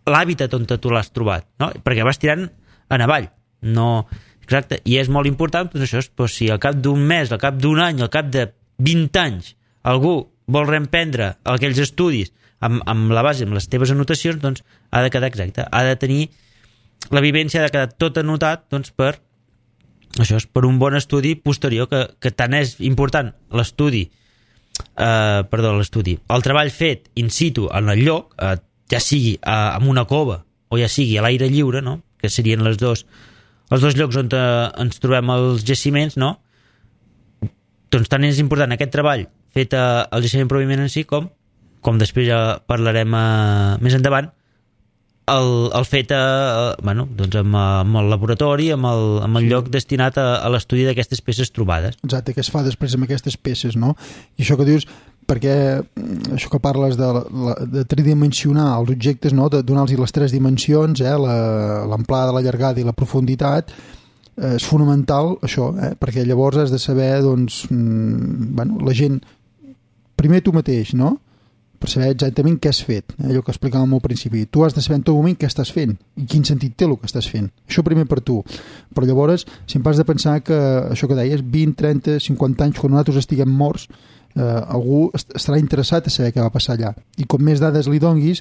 l'hàbitat on tu l'has trobat, no? Perquè vas tirant en avall. No, exacte. I és molt important, doncs això, doncs si al cap d'un mes, al cap d'un any, al cap de vint anys, algú vol reemprendre aquells estudis amb, amb la base, amb les teves anotacions, doncs ha de quedar exacte. Ha de tenir la vivència, ha de quedar tot anotat doncs, per això és per un bon estudi posterior, que, que tant és important l'estudi, eh, perdó, l'estudi, el treball fet in situ en el lloc, eh, ja sigui eh, en una cova o ja sigui a l'aire lliure, no? Que serien les dos, els dos llocs on eh, ens trobem els jaciments, no? Doncs tant és important aquest treball fet al jaciment pròpiament en si com, com després ja parlarem eh, més endavant, El, el fet a, bueno, doncs amb, amb el laboratori, amb el, amb el lloc destinat a, a l'estudi d'aquestes peces trobades. Exacte, què es fa després amb aquestes peces, no? I això que dius, perquè això que parles de, la, de tridimensionar els objectes, no? De donar-los les tres dimensions, eh? l'amplada, la llargada i la profunditat, eh, és fonamental això, eh? Perquè llavors has de saber, doncs, mm, bueno, la gent, primer tu mateix, no?, per saber exactament què has fet, eh? Allò que explicàvem al principi. Tu has de saber en tot moment què estàs fent i quin sentit té el que estàs fent. Això primer per tu. Però llavors sempre has de pensar que això que deies, vint, trenta, cinquanta anys, quan nosaltres estiguem morts, eh, algú estarà interessat a saber què va passar allà. I com més dades li donguis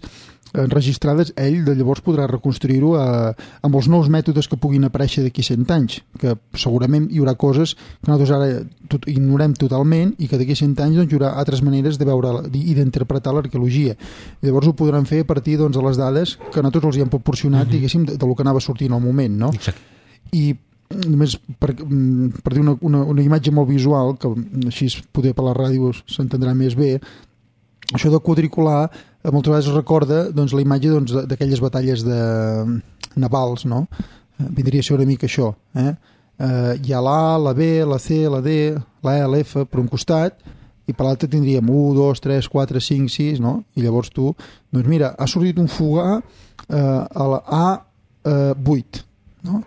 enregistrades, ell de llavors podrà reconstruir-ho eh, amb els nous mètodes que puguin aparèixer d'aquí cent anys, que segurament hi haurà coses que nosaltres ara tot, ignorem totalment i que d'aquí cent anys doncs, hi haurà altres maneres de veure i d'interpretar l'arqueologia. I llavors ho podran fer a partir doncs, de les dades que nosaltres els hi hem proporcionat, mm-hmm. diguéssim, de, de lo que anava sortint al moment, no? Exacte. I només per, per dir una, una, una imatge molt visual, que així poder per la ràdio s'entendrà més bé, això de quadricular moltes vegades recorda doncs, la imatge doncs, d'aquelles batalles de navals, no? Vindria a ser una mica això. Eh? Eh, hi ha l'A, la B, la C, la D, la E, l'F per un costat, i per l'altre tindríem u, dos, tres, quatre, cinc, sis, no? I llavors tu, doncs mira, ha sortit un fogar eh, a la A vuit, no?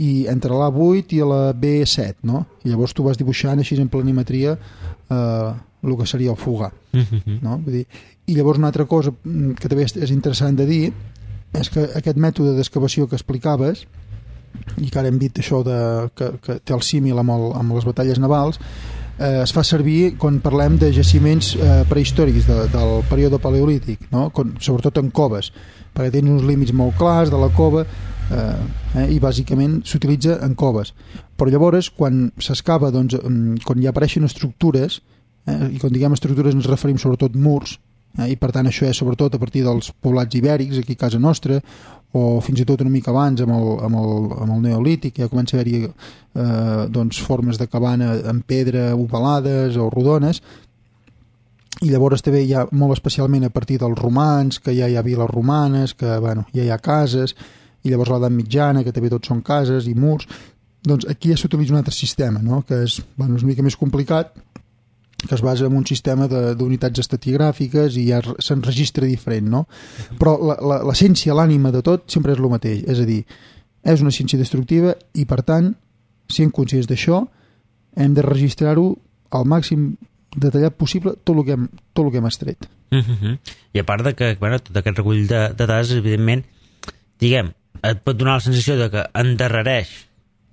I entre l'A vuit i la B set, no? I llavors tu vas dibuixant així en planimetria eh, el que seria el fogar, mm-hmm. no? Vull dir, i llavors una altra cosa que també és interessant de dir és que aquest mètode d'excavació que explicaves i que ara hem dit això de, que, que té el símil amb, el, amb les batalles navals eh, es fa servir quan parlem de jaciments eh, prehistòrics de, del període paleolític, no? Con, sobretot en coves, perquè tenen uns límits molt clars de la cova eh, eh, i bàsicament s'utilitza en coves, però llavors quan s'excava, doncs, quan hi apareixen estructures, eh, i quan diguem estructures ens referim sobretot murs, eh, i per tant això és sobretot a partir dels poblats ibèrics aquí a casa nostra, o fins i tot una mica abans amb el, amb el, amb el neolític, ja comença a haver-hi eh, doncs, formes de cabana en pedra ovalades o rodones, i llavors també hi ha molt especialment a partir dels romans, que ja hi ha viles romanes, que bueno, ja hi ha cases, i llavors l'edat mitjana, que també tot són cases i murs. Doncs aquí ja s'utilitza un altre sistema, no? Que és, bueno, és una mica més complicat, que es basa en un sistema d'unitats estratigràfiques i ja s'enregistra diferent, no? Però l'essència, l'ànima de tot sempre és el mateix, és a dir, és una ciència destructiva i per tant, sent conscients d'això, hem de registrar-ho al màxim detallat possible tot el que hem, tot el que hem estret. Mm-hmm. I a part de que bueno, tot aquest recull de, de dades, evidentment, diguem, et pot donar la sensació de que endarrereix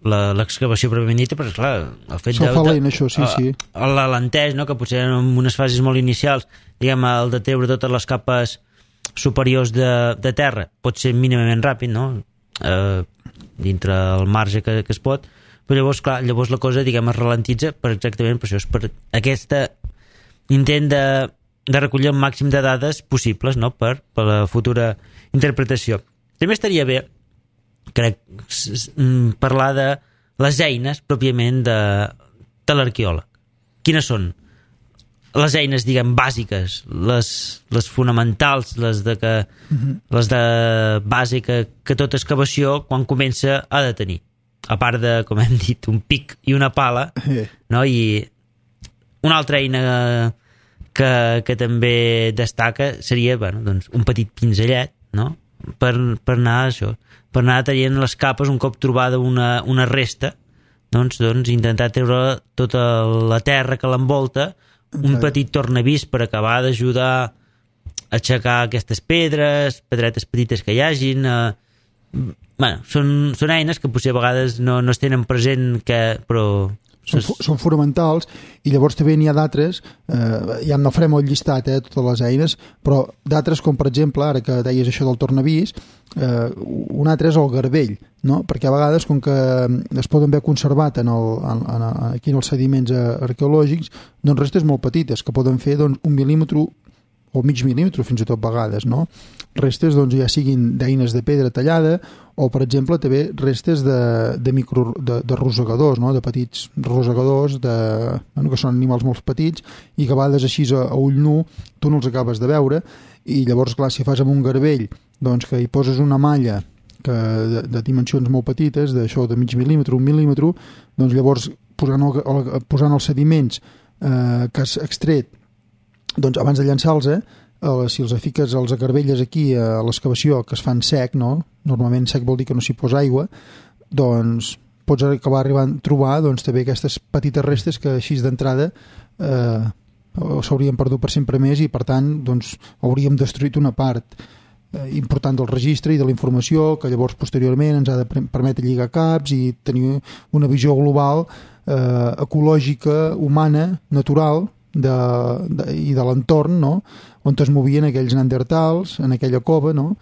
l'excavació pròpiament dita, però clar, el fet de, de, això, sí, sí. l'alentès, no? Que potser en unes fases molt inicials, diguem, el de treure totes les capes superiors de, de terra pot ser mínimament ràpid, no? Eh, dintre el marge que, que es pot, però llavors, clar, llavors la cosa, diguem, es ralentitza per exactament per això, és per aquest intent de, de recollir el màxim de dades possibles, no? Per, per la futura interpretació. També estaria bé, crec, parlar de les eines pròpiament de, de l'arqueòleg. Quines són les eines, diguem, bàsiques, les, les fonamentals, les de, que, mm-hmm. les de base que, que tota excavació, quan comença, ha de tenir. A part de, com hem dit, un pic i una pala, no? I una altra eina que, que també destaca seria, bueno, doncs, un petit pinzellet, no? Per, per anar això, per anar traient les capes un cop trobada una, una resta, doncs, doncs intentar treure tota la terra que l'envolta, un petit tornavís per acabar d'ajudar a aixecar aquestes pedres, pedretes petites que hi hagin. Eh, bueno, són, són eines que potser a vegades no, no es tenen present, que, però Són, són fonamentals, i llavors també n'hi ha d'altres, eh, ja no farem el llistat, eh, totes les eines, però d'altres com per exemple, ara que deies això del tornavís, eh, un altre és el garbell, no? Perquè a vegades com que es poden haver conservat en el, en, en, aquí en els sediments arqueològics, doncs restes molt petites que poden fer doncs, un mil·límetre o mig mil·límetre fins i tot vegades, no? Restes doncs, ja siguin d'eines de pedra tallada o, per exemple, també restes de, de, micro, de, de rosegadors, no? De petits rosegadors de, bueno, que són animals molt petits i que a vegades així a, a ull nu tu no els acabes de veure, i llavors, clar, si fas amb un garbell doncs, que hi poses una malla que de, de dimensions molt petites, d'això de mig mil·límetre, un mil·límetre, doncs llavors posant, el, el, posant els sediments eh, que has extret, doncs abans de llançar-los, eh, si els fiques els garbelles aquí a l'excavació, que es fan sec, no? Normalment sec vol dir que no s'hi posa aigua, doncs pots acabar arribant a trobar doncs, també aquestes petites restes que així d'entrada eh, s'haurien perdut per sempre més i per tant doncs, hauríem destruït una part eh, important del registre i de la informació que llavors posteriorment ens ha de permetre lligar caps i tenir una visió global eh, ecològica, humana, natural de, de, i de l'entorn, no? On es movien aquells neandertals en aquella cova, no?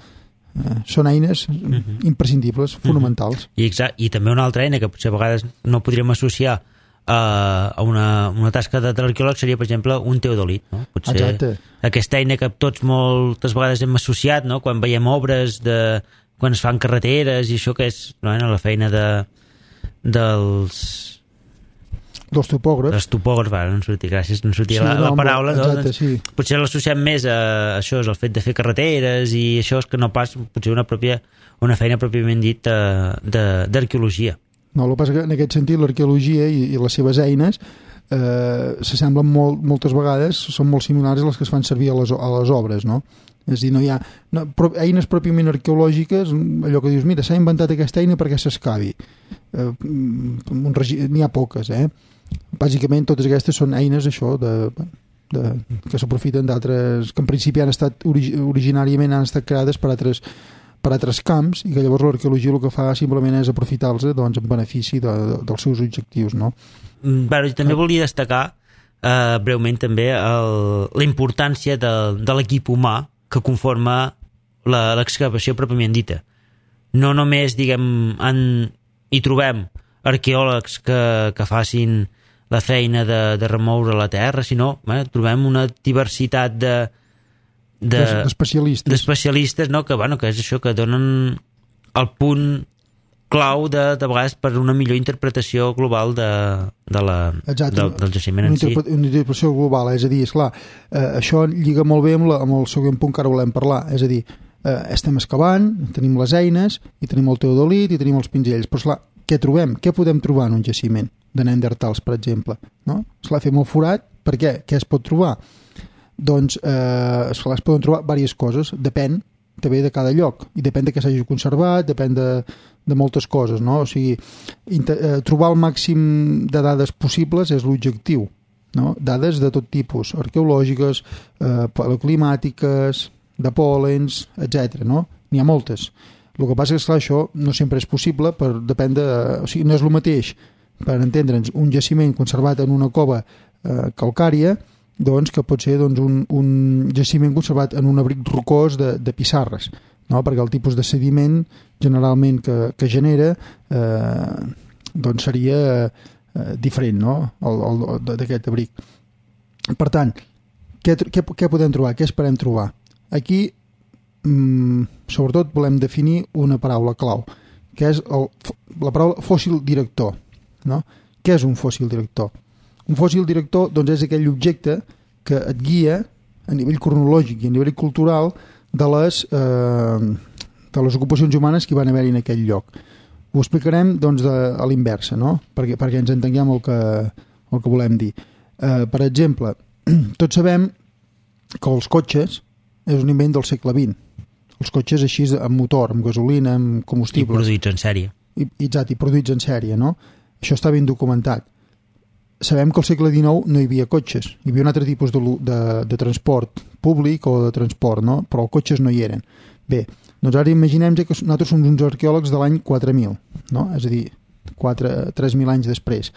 Eh, són eines uh-huh. imprescindibles, fonamentals. Uh-huh. I, exacte, i també una altra eina que potser a vegades no podríem associar a, a una, una tasca de, de l'arqueòleg seria, per exemple, un teodolit, no? Potser exacte. Aquesta eina que tots moltes vegades hem associat, no? Quan veiem obres de, quan es fan carreteres i això que és no? la feina de, dels dels topògrafs. Dels topògrafs, no em sortia, gràcies, no em sortia sí, la, la paraula. Exacte, no? sí. Potser l'associem més a això, és el fet de fer carreteres i això és que no pas potser una, pròpia, una feina pròpiament dit d'arqueologia. No, el que passa que en aquest sentit l'arqueologia i, i les seves eines eh, s'assemblen molt, moltes vegades, són molt similars a les que es fan servir a les, a les obres, no? És a dir, no hi ha no, pro, eines pròpiament arqueològiques, allò que dius, mira, s'ha inventat aquesta eina perquè s'excavi. Eh, n'hi ha poques, eh? Bàsicament totes aquestes són eines això de, de, que s'aprofiten d'altres que en principi han estat orig, originàriament han estat creades per altres, per altres camps i que llavors l'arqueologia el que fa simplement és aprofitar-los doncs, en benefici de, de, dels seus objectius, no? Bueno, jo també volia destacar eh, breument també el, la importància de, de l'equip humà que conforma l'excavació pròpiament dita. No només, diguem, en, hi trobem arqueòlegs que, que facin la feina de, de remoure la terra, sinó eh, trobem una diversitat de d'especialistes, d'especialistes no? que, bueno, que és això, que donen el punt clau de, de vegades per una millor interpretació global de, de la, Exacte, del, del jaciment en si. Una interpretació global, és a dir, esclar, eh, això lliga molt bé amb, la, amb el següent punt que ara volem parlar, és a dir, eh, estem excavant, tenim les eines i tenim el teodolit i tenim els pinzells, però esclar, què trobem? Què podem trobar en un jaciment de neandertals, per exemple? No? Esclar, fem el forat, per què? Què es pot trobar? Doncs, eh, esclar, es poden trobar diverses coses, depèn també de cada lloc, i depèn de què s'hagi conservat, depèn de, de moltes coses, no? O sigui, inter, eh, trobar el màxim de dades possibles és l'objectiu, no? Dades de tot tipus, arqueològiques, eh, paleoclimàtiques, de pòlens, etcètera, no? N'hi ha moltes. El que passa és que, esclar, això no sempre és possible, per, depèn de, o sigui, no és el mateix, per entendre'ns, un jaciment conservat en una cova eh, calcària, doncs, que pot ser doncs, un, un jaciment conservat en un abric rocós de, de pissarres, no? Perquè el tipus de sediment generalment que, que genera eh, doncs seria eh, diferent, no? El, el, d'aquest abric. Per tant, què, què, què podem trobar? Què esperem trobar? Aquí mm, sobretot volem definir una paraula clau, que és el, la paraula fòssil director, no? Què és un fòssil director? Un fòssil director doncs, és aquell objecte que et guia a nivell cronològic i a nivell cultural de les, eh, de les ocupacions humanes que hi van haver en aquell lloc. Ho explicarem doncs, de, a l'inversa, no? perquè, perquè ens entenguem el que, el que volem dir. Eh, per exemple, tots sabem que els cotxes és un invent del segle vint. Els cotxes així amb motor, amb gasolina, amb combustibles. I produïts en sèrie. I, exacte, i produïts en sèrie, no? Això està ben documentat. Sabem que al segle dinou no hi havia cotxes, hi havia un altre tipus de, de, de transport públic o de transport, no? Però els cotxes no hi eren. Bé, doncs ara imaginem que nosaltres som uns arqueòlegs de l'any quatre mil, no? És a dir, tres mil anys després.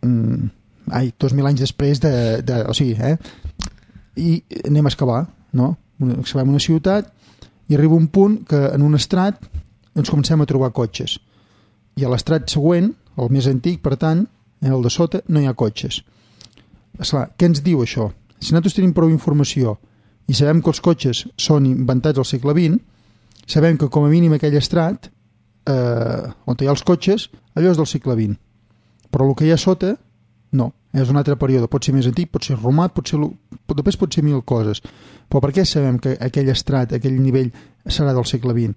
Mm, ai, dos mil anys després de, de... O sigui, eh? I anem a excavar, no? Excavem una ciutat i arriba un punt que en un estrat ens comencem a trobar cotxes. I a l'estrat següent, el més antic, per tant, el de sota, no hi ha cotxes. Esclar, què ens diu això? Si nosaltres tenim prou informació i sabem que els cotxes són inventats al segle vint, sabem que com a mínim aquell estrat, eh, on hi ha els cotxes, allò és del segle vint. Però el que hi ha sota, no. És un altre període. Pot ser més antic, pot ser romà, pot ser, després pot ser mil coses. Però per què sabem que aquell estrat, aquell nivell, serà del segle vint?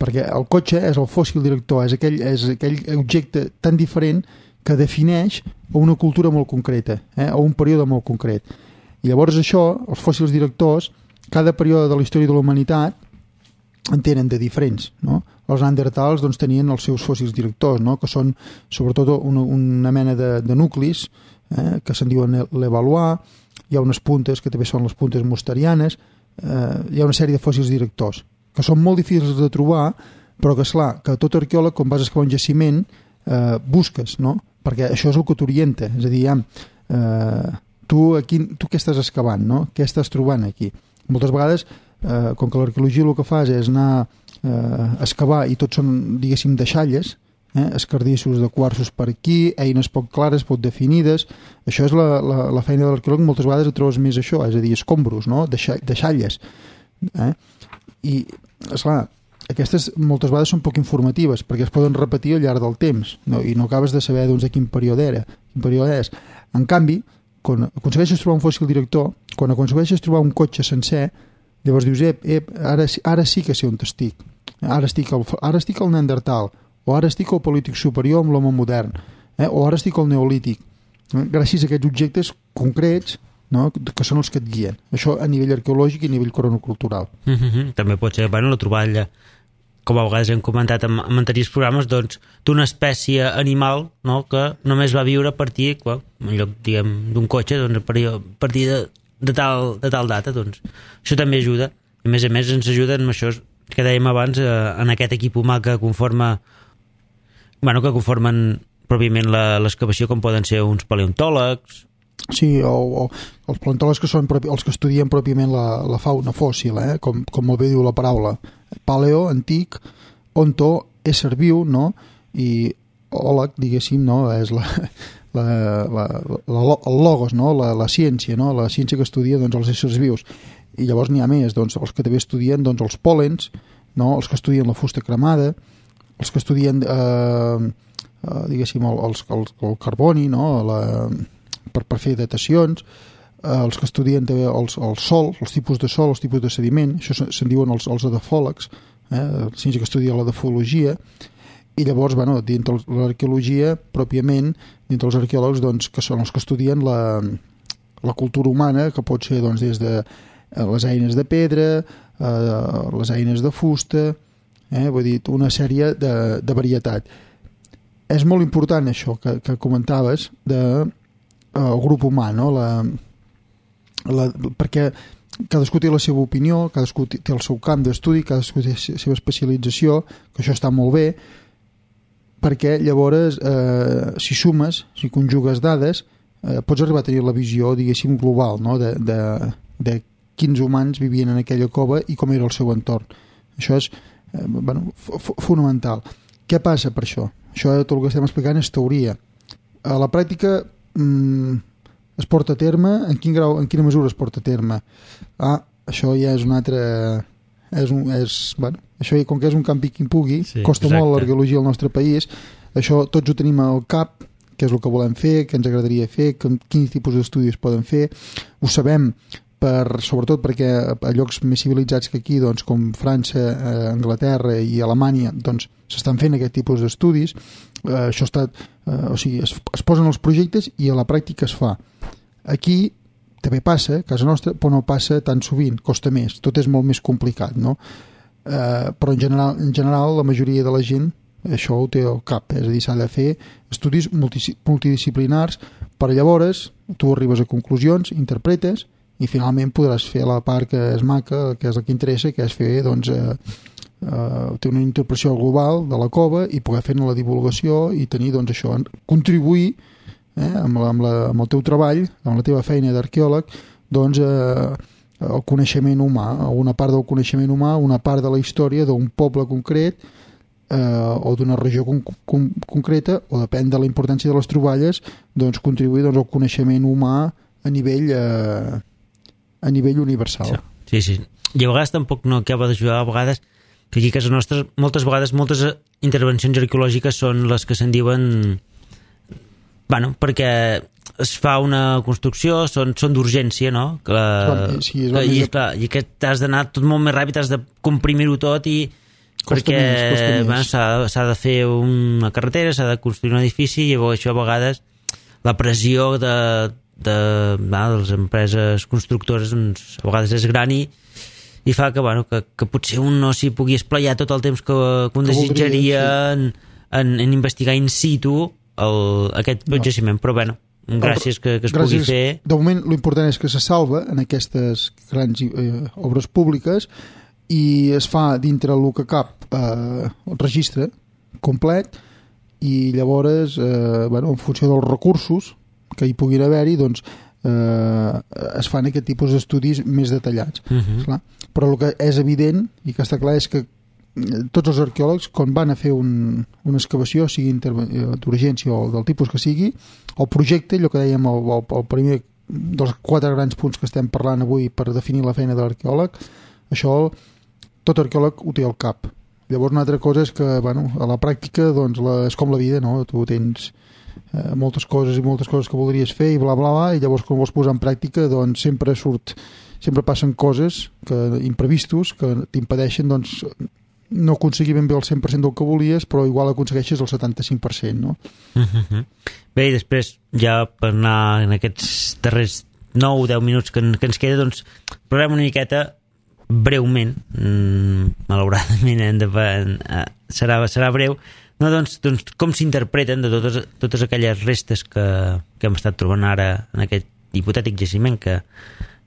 Perquè el cotxe és el fòssil director, és aquell, és aquell objecte tan diferent que defineix una cultura molt concreta, eh? O un període molt concret. I llavors això, els fòssils directors, cada període de la història de la humanitat en tenen de diferents, no? Els neandertals doncs, tenien els seus fòssils directors, no? Que són sobretot una, una mena de, de nuclis eh, que se'n diuen l'Evalois, hi ha unes puntes que també són les puntes mosterianes, eh, hi ha una sèrie de fòssils directors que són molt difícils de trobar, però que esclar, que tot arqueòleg quan vas a excavar un jaciment eh, busques, no? Perquè això és el que t'orienta, és a dir, ja, eh, tu, aquí, tu què estàs excavant, no? Què estàs trobant aquí? Moltes vegades eh, com que l'arqueologia el que fas és anar eh, a excavar i tots són, diguéssim, deixalles, eh, escardissos de quarsos per aquí, eines poc clares, poc definides, això és la, la, la feina de l'arqueòleg, moltes vegades et trobes més això, és a dir, escombros, no? Deixalles. Eh? I, esclar, aquestes moltes vegades són poc informatives perquè es poden repetir al llarg del temps, no? I no acabes de saber doncs, de quin període era, quin període és. En canvi, quan aconsegueixes trobar un fòssil director, quan aconsegueixes trobar un cotxe sencer, llavors dius, ep, ep, ara, ara sí que sé on estic. Ara estic al, ara estic al Neandertal, o ara estic al Paleolític superior amb l'home modern, eh? O ara estic al Neolític. Gràcies a aquests objectes concrets, no? Que són els que et guien. Això a nivell arqueològic i a nivell cronocultural. Mm-hmm. També pot ser, bueno, la troballa, com a vegades hem comentat en, en anteriors programes, doncs, d'una espècie animal, no?, que només va viure a partir, well, en lloc, diguem, d'un cotxe, doncs, a partir de, de, tal, de tal data, doncs. Això també ajuda. A més a més, ens ajuda en això que dèiem abans, eh, en aquest equip humà que conforma, bueno, que conformen pròpiament l'excavació, com poden ser uns paleontòlegs. Sí, o, o els paleontòlegs que són propi, els que estudien pròpiament la, la fauna fòssil, eh? com, com molt bé diu la paraula. Paleo, antic, onto, ésser viu, no? I òleg, diguéssim, no? És la, la, la, la, el logos, no? La, la ciència, no? La ciència que estudia doncs, els éssers vius. I llavors n'hi ha més, doncs, els que també estudien doncs, els pòlens, no? Els que estudien la fusta cremada, els que estudien eh, eh, diguéssim, el, el, el, el carboni, no? La, per, per fer datacions, eh, els que estudien també els, el sol, els tipus de sol, els tipus de sediment, això se'n diuen els, els edafòlegs, eh, la ciència que estudia l'edafologia, i llavors, bueno, dintre l'arqueologia, pròpiament, dintre els arqueòlegs, doncs, que són els que estudien la, la cultura humana, que pot ser doncs, des de les eines de pedra, eh, les eines de fusta, eh, vull dir, una sèrie de, de varietat. És molt important això que, que comentaves de el grup humà, no? La, la, perquè cadascú té la seva opinió, cadascú té el seu camp d'estudi, cadascú té la seva especialització, que això està molt bé, perquè llavors, eh, si sumes, si conjugues dades, eh, pots arribar a tenir la visió, diguéssim, global, no? de, de, de quins humans vivien en aquella cova i com era el seu entorn. Això és eh, bueno, fonamental. Què passa per això? Això, tot el que estem explicant és teoria. A la pràctica es porta a terme, en quin grau, en quina mesura es porta a terme? Ah, això ja és un altre és un, és, bueno, això com que és un campi qui pugui, sí, costa exacte. Molt l'arqueologia al nostre país, això tots ho tenim al cap, què és el que volem fer, què ens agradaria fer, quins tipus d'estudis poden fer, ho sabem per, sobretot perquè a llocs més civilitzats que aquí, doncs, com França, eh, Anglaterra i Alemanya, doncs s'estan fent aquest tipus d'estudis, eh, això està, eh, o sigui, es, es posen els projectes i a la pràctica es fa. Aquí també passa, a casa nostra, però no passa tan sovint, costa més, tot és molt més complicat, no? Eh, però en general, en general la majoria de la gent això ho té al cap, és a dir, s'ha de fer estudis multidisciplinars per llavors tu arribes a conclusions, interpretes i finalment podràs fer la part que és maca, que és el que interessa, que és fer doncs, eh, eh, ter una interpretació global de la cova i poder fer-ne la divulgació i tenir doncs, això, contribuir eh, amb, la, amb, la, amb el teu treball, amb la teva feina d'arqueòleg, doncs eh, el coneixement humà, una part del coneixement humà, una part de la història d'un poble concret eh, o d'una regió con, con, concreta, o depèn de la importància de les troballes, doncs contribuir doncs, al coneixement humà a nivell eh, a nivell universal. Sí, sí. I a vegades tampoc no acaba d'ajudar, a vegades, que aquí a casa nostra, moltes vegades, moltes intervencions arqueològiques són les que se'n diuen, bueno, perquè es fa una construcció, són, són d'urgència, no? Que la, sí, és que, i, és clar, i que t'has d'anar tot molt més ràpid, has de comprimir-ho tot i costa perquè més, bueno, s'ha, s'ha de fer una carretera, s'ha de construir un edifici i llavors això a vegades la pressió de de, de les empreses constructores doncs, a vegades és gran i, i fa que, bueno, que, que potser un no s'hi pugui esplayar tot el temps que, que un que desitjaria voldria, sí. en, en, en investigar in situ el, aquest no. jaciment, però bueno, gràcies que, que es gràcies, pugui fer. De moment l'important és que se salva en aquestes grans eh, obres públiques i es fa dintre el que cap eh, el registre complet i llavors eh, bueno, en funció dels recursos que hi puguin haver-hi doncs eh, es fan aquest tipus d'estudis més detallats. Uh-huh. Clar. Però el que és evident i que està clar és que tots els arqueòlegs quan van a fer un, una excavació sigui d'urgència o del tipus que sigui, el projecte, allò que dèiem el, el, el primer dels quatre grans punts que estem parlant avui per definir la feina de l'arqueòleg, això tot arqueòleg ho té al cap. Llavors una altra cosa és que bueno, a la pràctica doncs, la, és com la vida, no? Tu tens eh, moltes coses i moltes coses que voldries fer i bla bla bla i llavors quan vols posar en pràctica doncs sempre surt, sempre passen coses que, imprevistos que t'impedeixen doncs no aconseguir ben bé el cent per cent del que volies, però igual aconsegueixes el setanta-cinc per cent, no? Uh-huh. Bé, i després, ja per anar en aquests darrers nou o deu minuts que, que ens queda, doncs, parlem una miqueta breument, mm, malauradament hem de, eh, serà, serà breu, no, doncs, doncs com s'interpreten de totes, totes aquelles restes que, que hem estat trobant ara en aquest hipotètic jaciment que,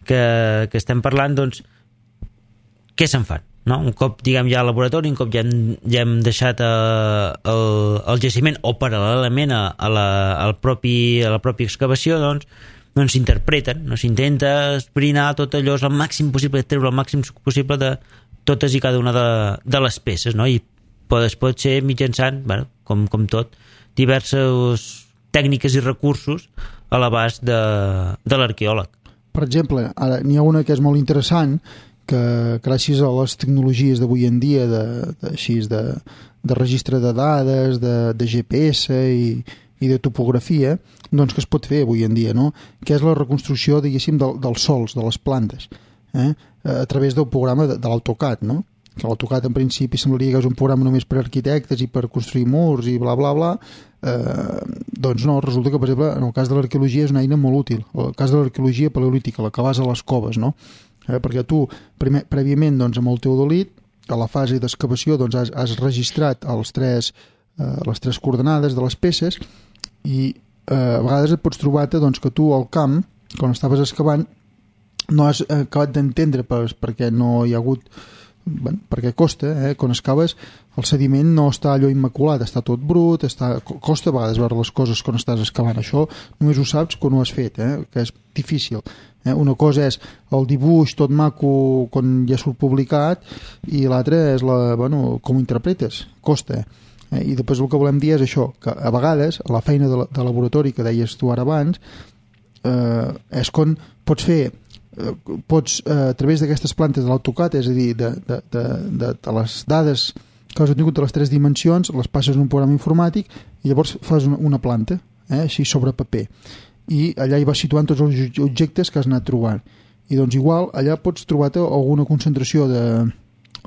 que, que estem parlant, doncs, què se'n fan? No? Un cop diguem ja al laboratori, un cop ja hem, ja hem deixat uh, el, el jaciment o paral·lelament a, a, la, al propi, a la pròpia excavació, doncs doncs s'interpreten, no? S'intenta esbrinar tot allò el màxim possible, treure el màxim possible de totes i cada una de, de les peces, no? I pot, es pot ser mitjançant, bueno, com, com tot, diverses tècniques i recursos a l'abast de, de l'arqueòleg. Per exemple, ara n'hi ha una que és molt interessant que gràcies a les tecnologies d'avui en dia de, de, així, de, de registre de dades, de, de G P S i, i de topografia, doncs que es pot fer avui en dia, no? Que és la reconstrucció, diguéssim, del, dels sols, de les plantes, eh? a través del programa de, de l'AutoCAD, no? Que l'AutoCAD en principi semblaria que és un programa només per arquitectes i per construir murs i bla bla bla, eh, doncs no, resulta que per exemple en el cas de l'arqueologia és una eina molt útil, el cas de l'arqueologia paleolítica, la que vas a les coves, no? Eh, perquè tu, primer, prèviament, doncs, amb el teodolit, a la fase d'excavació, doncs, has, has registrat els tres, eh, les tres coordenades de les peces i eh, a vegades et pots trobar-te doncs, que tu al camp, quan estaves excavant, no has acabat d'entendre per, perquè no hi ha hagut... Bueno, perquè costa, eh? Quan excaves el sediment no està allò immaculat, està tot brut, està... costa a vegades veure les coses quan estàs excavant. Això només ho saps quan ho has fet, eh? Que és difícil. Eh? Una cosa és el dibuix tot maco quan ja surt publicat i l'altra és la, bueno, com ho interpretes, costa. Eh? I després el que volem dir és això, que a vegades la feina de, la, de laboratori que deies tu ara abans eh, és quan pots fer pots, eh, a través d'aquestes plantes de l'AutoCAD, és a dir, de, de, de, de, de les dades que has obtingut de les tres dimensions, les passes en un programa informàtic i llavors fas una, una planta, eh, així sobre paper. I allà hi vas situant tots els objectes que has anat trobant. I doncs igual, allà pots trobar-te alguna concentració de...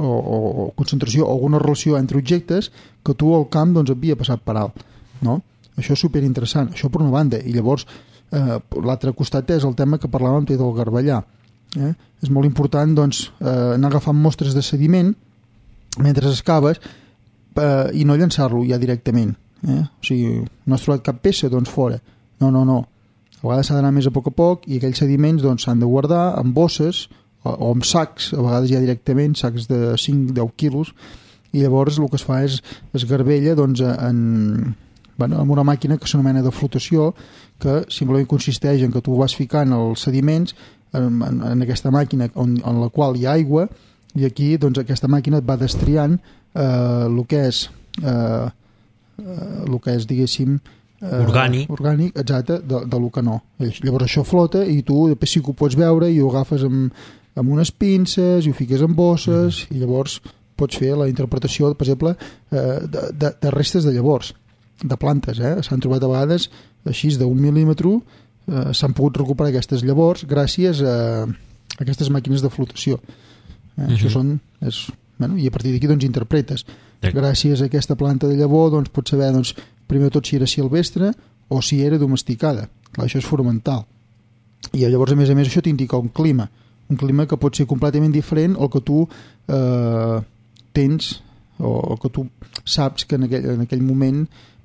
O, o, o concentració o alguna relació entre objectes que tu al camp doncs havia passat per alt, no? Això és superinteressant, això per una banda. I llavors Eh, l'altre costat és el tema que parlàvem del garbellar, eh? És molt important doncs, eh, anar agafant mostres de sediment mentre excaves eh, i no llançar-lo ja directament, eh? O sigui, no has trobat cap peça, doncs fora, no, no, no, a vegades s'ha d'anar més a poc a poc i aquells sediments doncs, s'han de guardar en bosses o, o en sacs, a vegades ja directament sacs de cinc a deu quilos i llavors el que es fa és es garbella doncs, en, bueno, amb una màquina que s'anomena de flotació que simplement consisteix en que tu vas ficant els sediments en, en, en aquesta màquina on, en la qual hi ha aigua i aquí doncs, aquesta màquina et va destriant eh, el que és eh, el que és diguéssim eh, orgànic, orgànic exacte, de, de lo que no. Llavors això flota i tu després sí que ho pots veure i ho agafes amb, amb unes pinces i ho fiques en bosses mm. i llavors pots fer la interpretació per exemple eh, de, de, de restes de llavors de plantes, eh? S'han trobat a vegades així d'un mil·límetre, eh, s'han pogut recuperar aquestes llavors gràcies a, a aquestes màquines de flotació. Eh? Uh-huh. Això són... És, bueno, i a partir d'aquí doncs interpretes. Sí. Gràcies a aquesta planta de llavor doncs pots saber doncs, primer de tot si era silvestre o si era domesticada. Clar, això és fonamental. I llavors a més a més això t'indica un clima. un clima que pot ser completament diferent al que tu eh, tens o que tu saps que en aquell, en aquell moment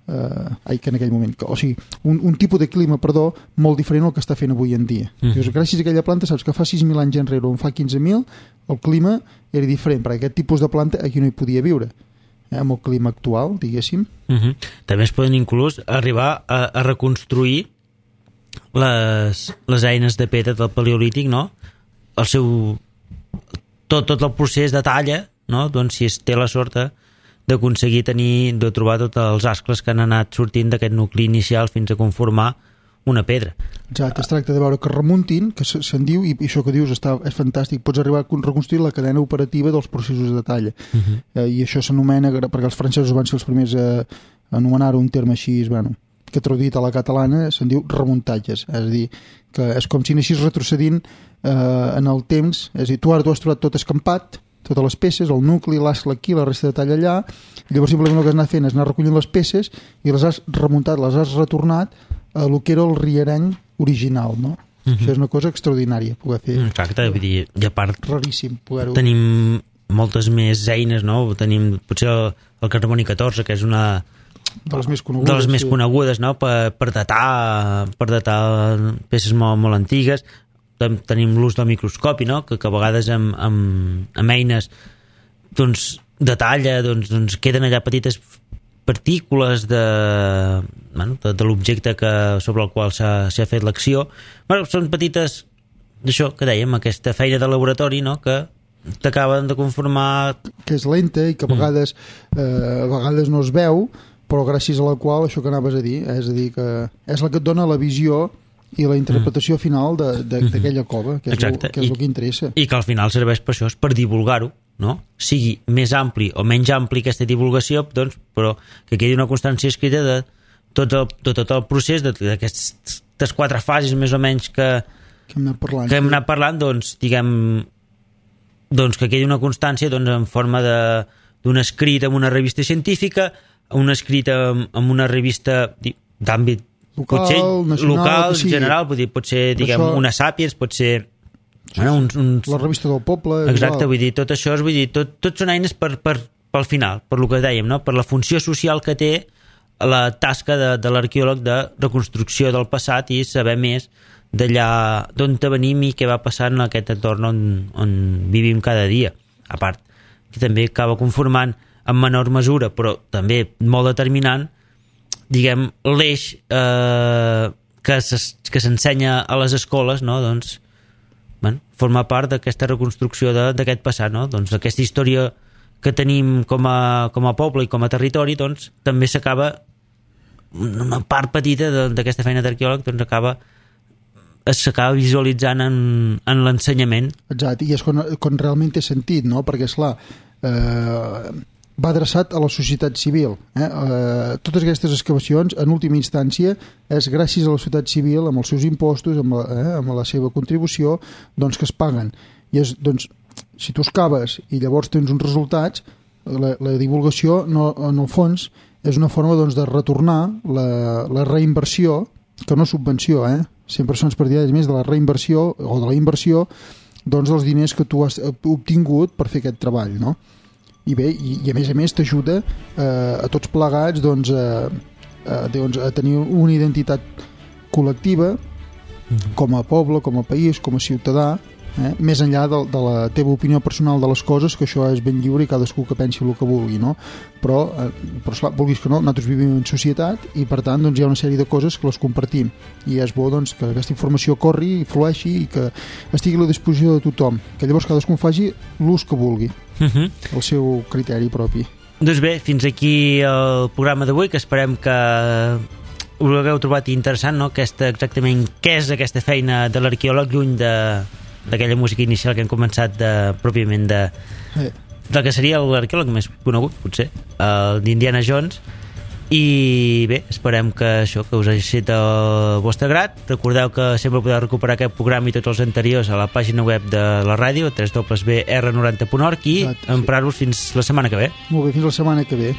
eh, ai, que en aquell moment o sigui, un, un tipus de clima, perdó, molt diferent al que està fent avui en dia. Mm. Dius, gràcies a aquella planta saps que fa sis mil anys enrere o en fa quinze mil el clima era diferent, perquè aquest tipus de planta aquí no hi podia viure, eh, amb el clima actual, diguéssim. Mm-hmm. També es poden inclús arribar a, a reconstruir les, les eines de pedra del paleolític, no? El seu tot, tot el procés de talla, no? Doncs si es té la sort d'aconseguir tenir, de trobar tots els ascles que han anat sortint d'aquest nucli inicial fins a conformar una pedra. Exacte, es tracta de veure que remuntin, que se'n diu, i això que dius està, és fantàstic, pots arribar a reconstruir la cadena operativa dels processos de talla. Uh-huh. eh, i això s'anomena, perquè els francesos van ser els primers a anomenar un terme així, bueno, que traduït a la catalana se'n diu remuntatges, és a dir, que és com si anessis retrocedint eh, en el temps, és a dir, tu ara tu has trobat tot escampat, totes les peces, el nucli, l'ascle aquí, la resta de talla allà, i llavors simplement el que has anat fent és anar recollint les peces i les has remuntat, les has retornat a el que era el riereny original, no? Uh-huh. Això és una cosa extraordinària, poder fer. Exacte, vull dir, i a part raríssim poder-ho. Tenim moltes més eines, no? Tenim potser el, el carboni catorze, que és una de les més conegudes, de les més sí. conegudes, no? Per, per datar per datar peces molt, molt antigues. Tenim l'ús del microscopi, no? que, que a vegades amb, amb, amb eines doncs, de talla doncs, doncs queden allà petites partícules de, bueno, de, de l'objecte que, sobre el qual s'ha fet l'acció. Bueno, són petites, d'això que dèiem, aquesta feina de laboratori, no? que t'acaben de conformar... Que és lenta i que a vegades, mm. eh, a vegades no es veu, però gràcies a la qual, això que anaves a dir, eh, és a dir, que és la que et dona la visió i la interpretació final d'aquella cova, que és, el, que és el que interessa. I que al final serveix per això, per divulgar-ho, no? Sigui més ampli o menys ampli aquesta divulgació, doncs, però que quedi una constància escrita de tot el, de tot el procés, d'aquestes quatre fases més o menys que, que hem anat parlant, que hem anat parlant doncs, diguem, doncs que quedi una constància doncs, en forma d'un escrit en una revista científica, un escrit en, en una revista d'àmbit local, potser nacional, local, sí. general, pot, dir, pot ser diguem, això, una Sàpiens, pot ser sí, bueno, uns, uns... la revista del poble, exacte, igual. Vull dir, tot això és, vull dir, tot, tot són eines per, per, pel final, per lo que dèiem, no? Per la funció social que té la tasca de, de l'arqueòleg de reconstrucció del passat i saber més d'allà d'on venim i què va passar en aquest entorn on, on vivim cada dia. A part, que també acaba conformant en menor mesura, però també molt determinant, diguem, l'eix eh, que s'ensenya a les escoles, no? Doncs, bueno, forma part d'aquesta reconstrucció d'aquest passat, no? Doncs aquesta història que tenim com a, com a poble i com a territori, doncs, també s'acaba, una part petita d'aquesta feina d'arqueòleg, doncs acaba s'acaba visualitzant en, en l'ensenyament. Exacte, i és quan, quan realment té sentit, no? Perquè, esclar, eh, va adreçat a la societat civil. Eh? Eh, totes aquestes excavacions, en última instància, és gràcies a la societat civil, amb els seus impostos, amb la, eh, amb la seva contribució, doncs que es paguen. I és, doncs, si tu excaves i llavors tens uns resultats, la, la divulgació, no, en el fons, és una forma doncs, de retornar la, la reinversió, que no subvenció, eh? Sempre són partidaris més de la reinversió o de la inversió doncs, dels diners que tu has obtingut per fer aquest treball, no? I bé, i, i a més a més t'ajuda eh, a tots plegats doncs, a, a, doncs, a tenir una identitat col·lectiva com a poble, com a país, com a ciutadà, eh, més enllà de, de la teva opinió personal de les coses, que això és ben lliure i cadascú que pensi el que vulgui, no? Però, eh, però esclar, vulguis que no, nosaltres vivim en societat i per tant doncs, hi ha una sèrie de coses que les compartim i és bo doncs, que aquesta informació corri i flueixi i que estigui a la disposició de tothom, que llavors cadascú faci l'ús que vulgui, uh-huh. el seu criteri propi. Doncs bé, fins aquí el programa d'avui, que esperem que us l'hagueu trobat interessant, no? Aquesta, exactament què és aquesta feina de l'arqueòleg lluny de d'aquella música inicial que hem començat de, pròpiament de, eh. del que seria l'arqueòleg més conegut, potser, el d'Indiana Jones. I bé, esperem que això, que us hagi estat el vostre grat. Recordeu que sempre podeu recuperar aquest programa i tots els anteriors a la pàgina web de la ràdio, w w w punt r noranta punt org, i Exacte, emprar-vos fins la setmana que ve. Molt bé, fins la setmana que ve.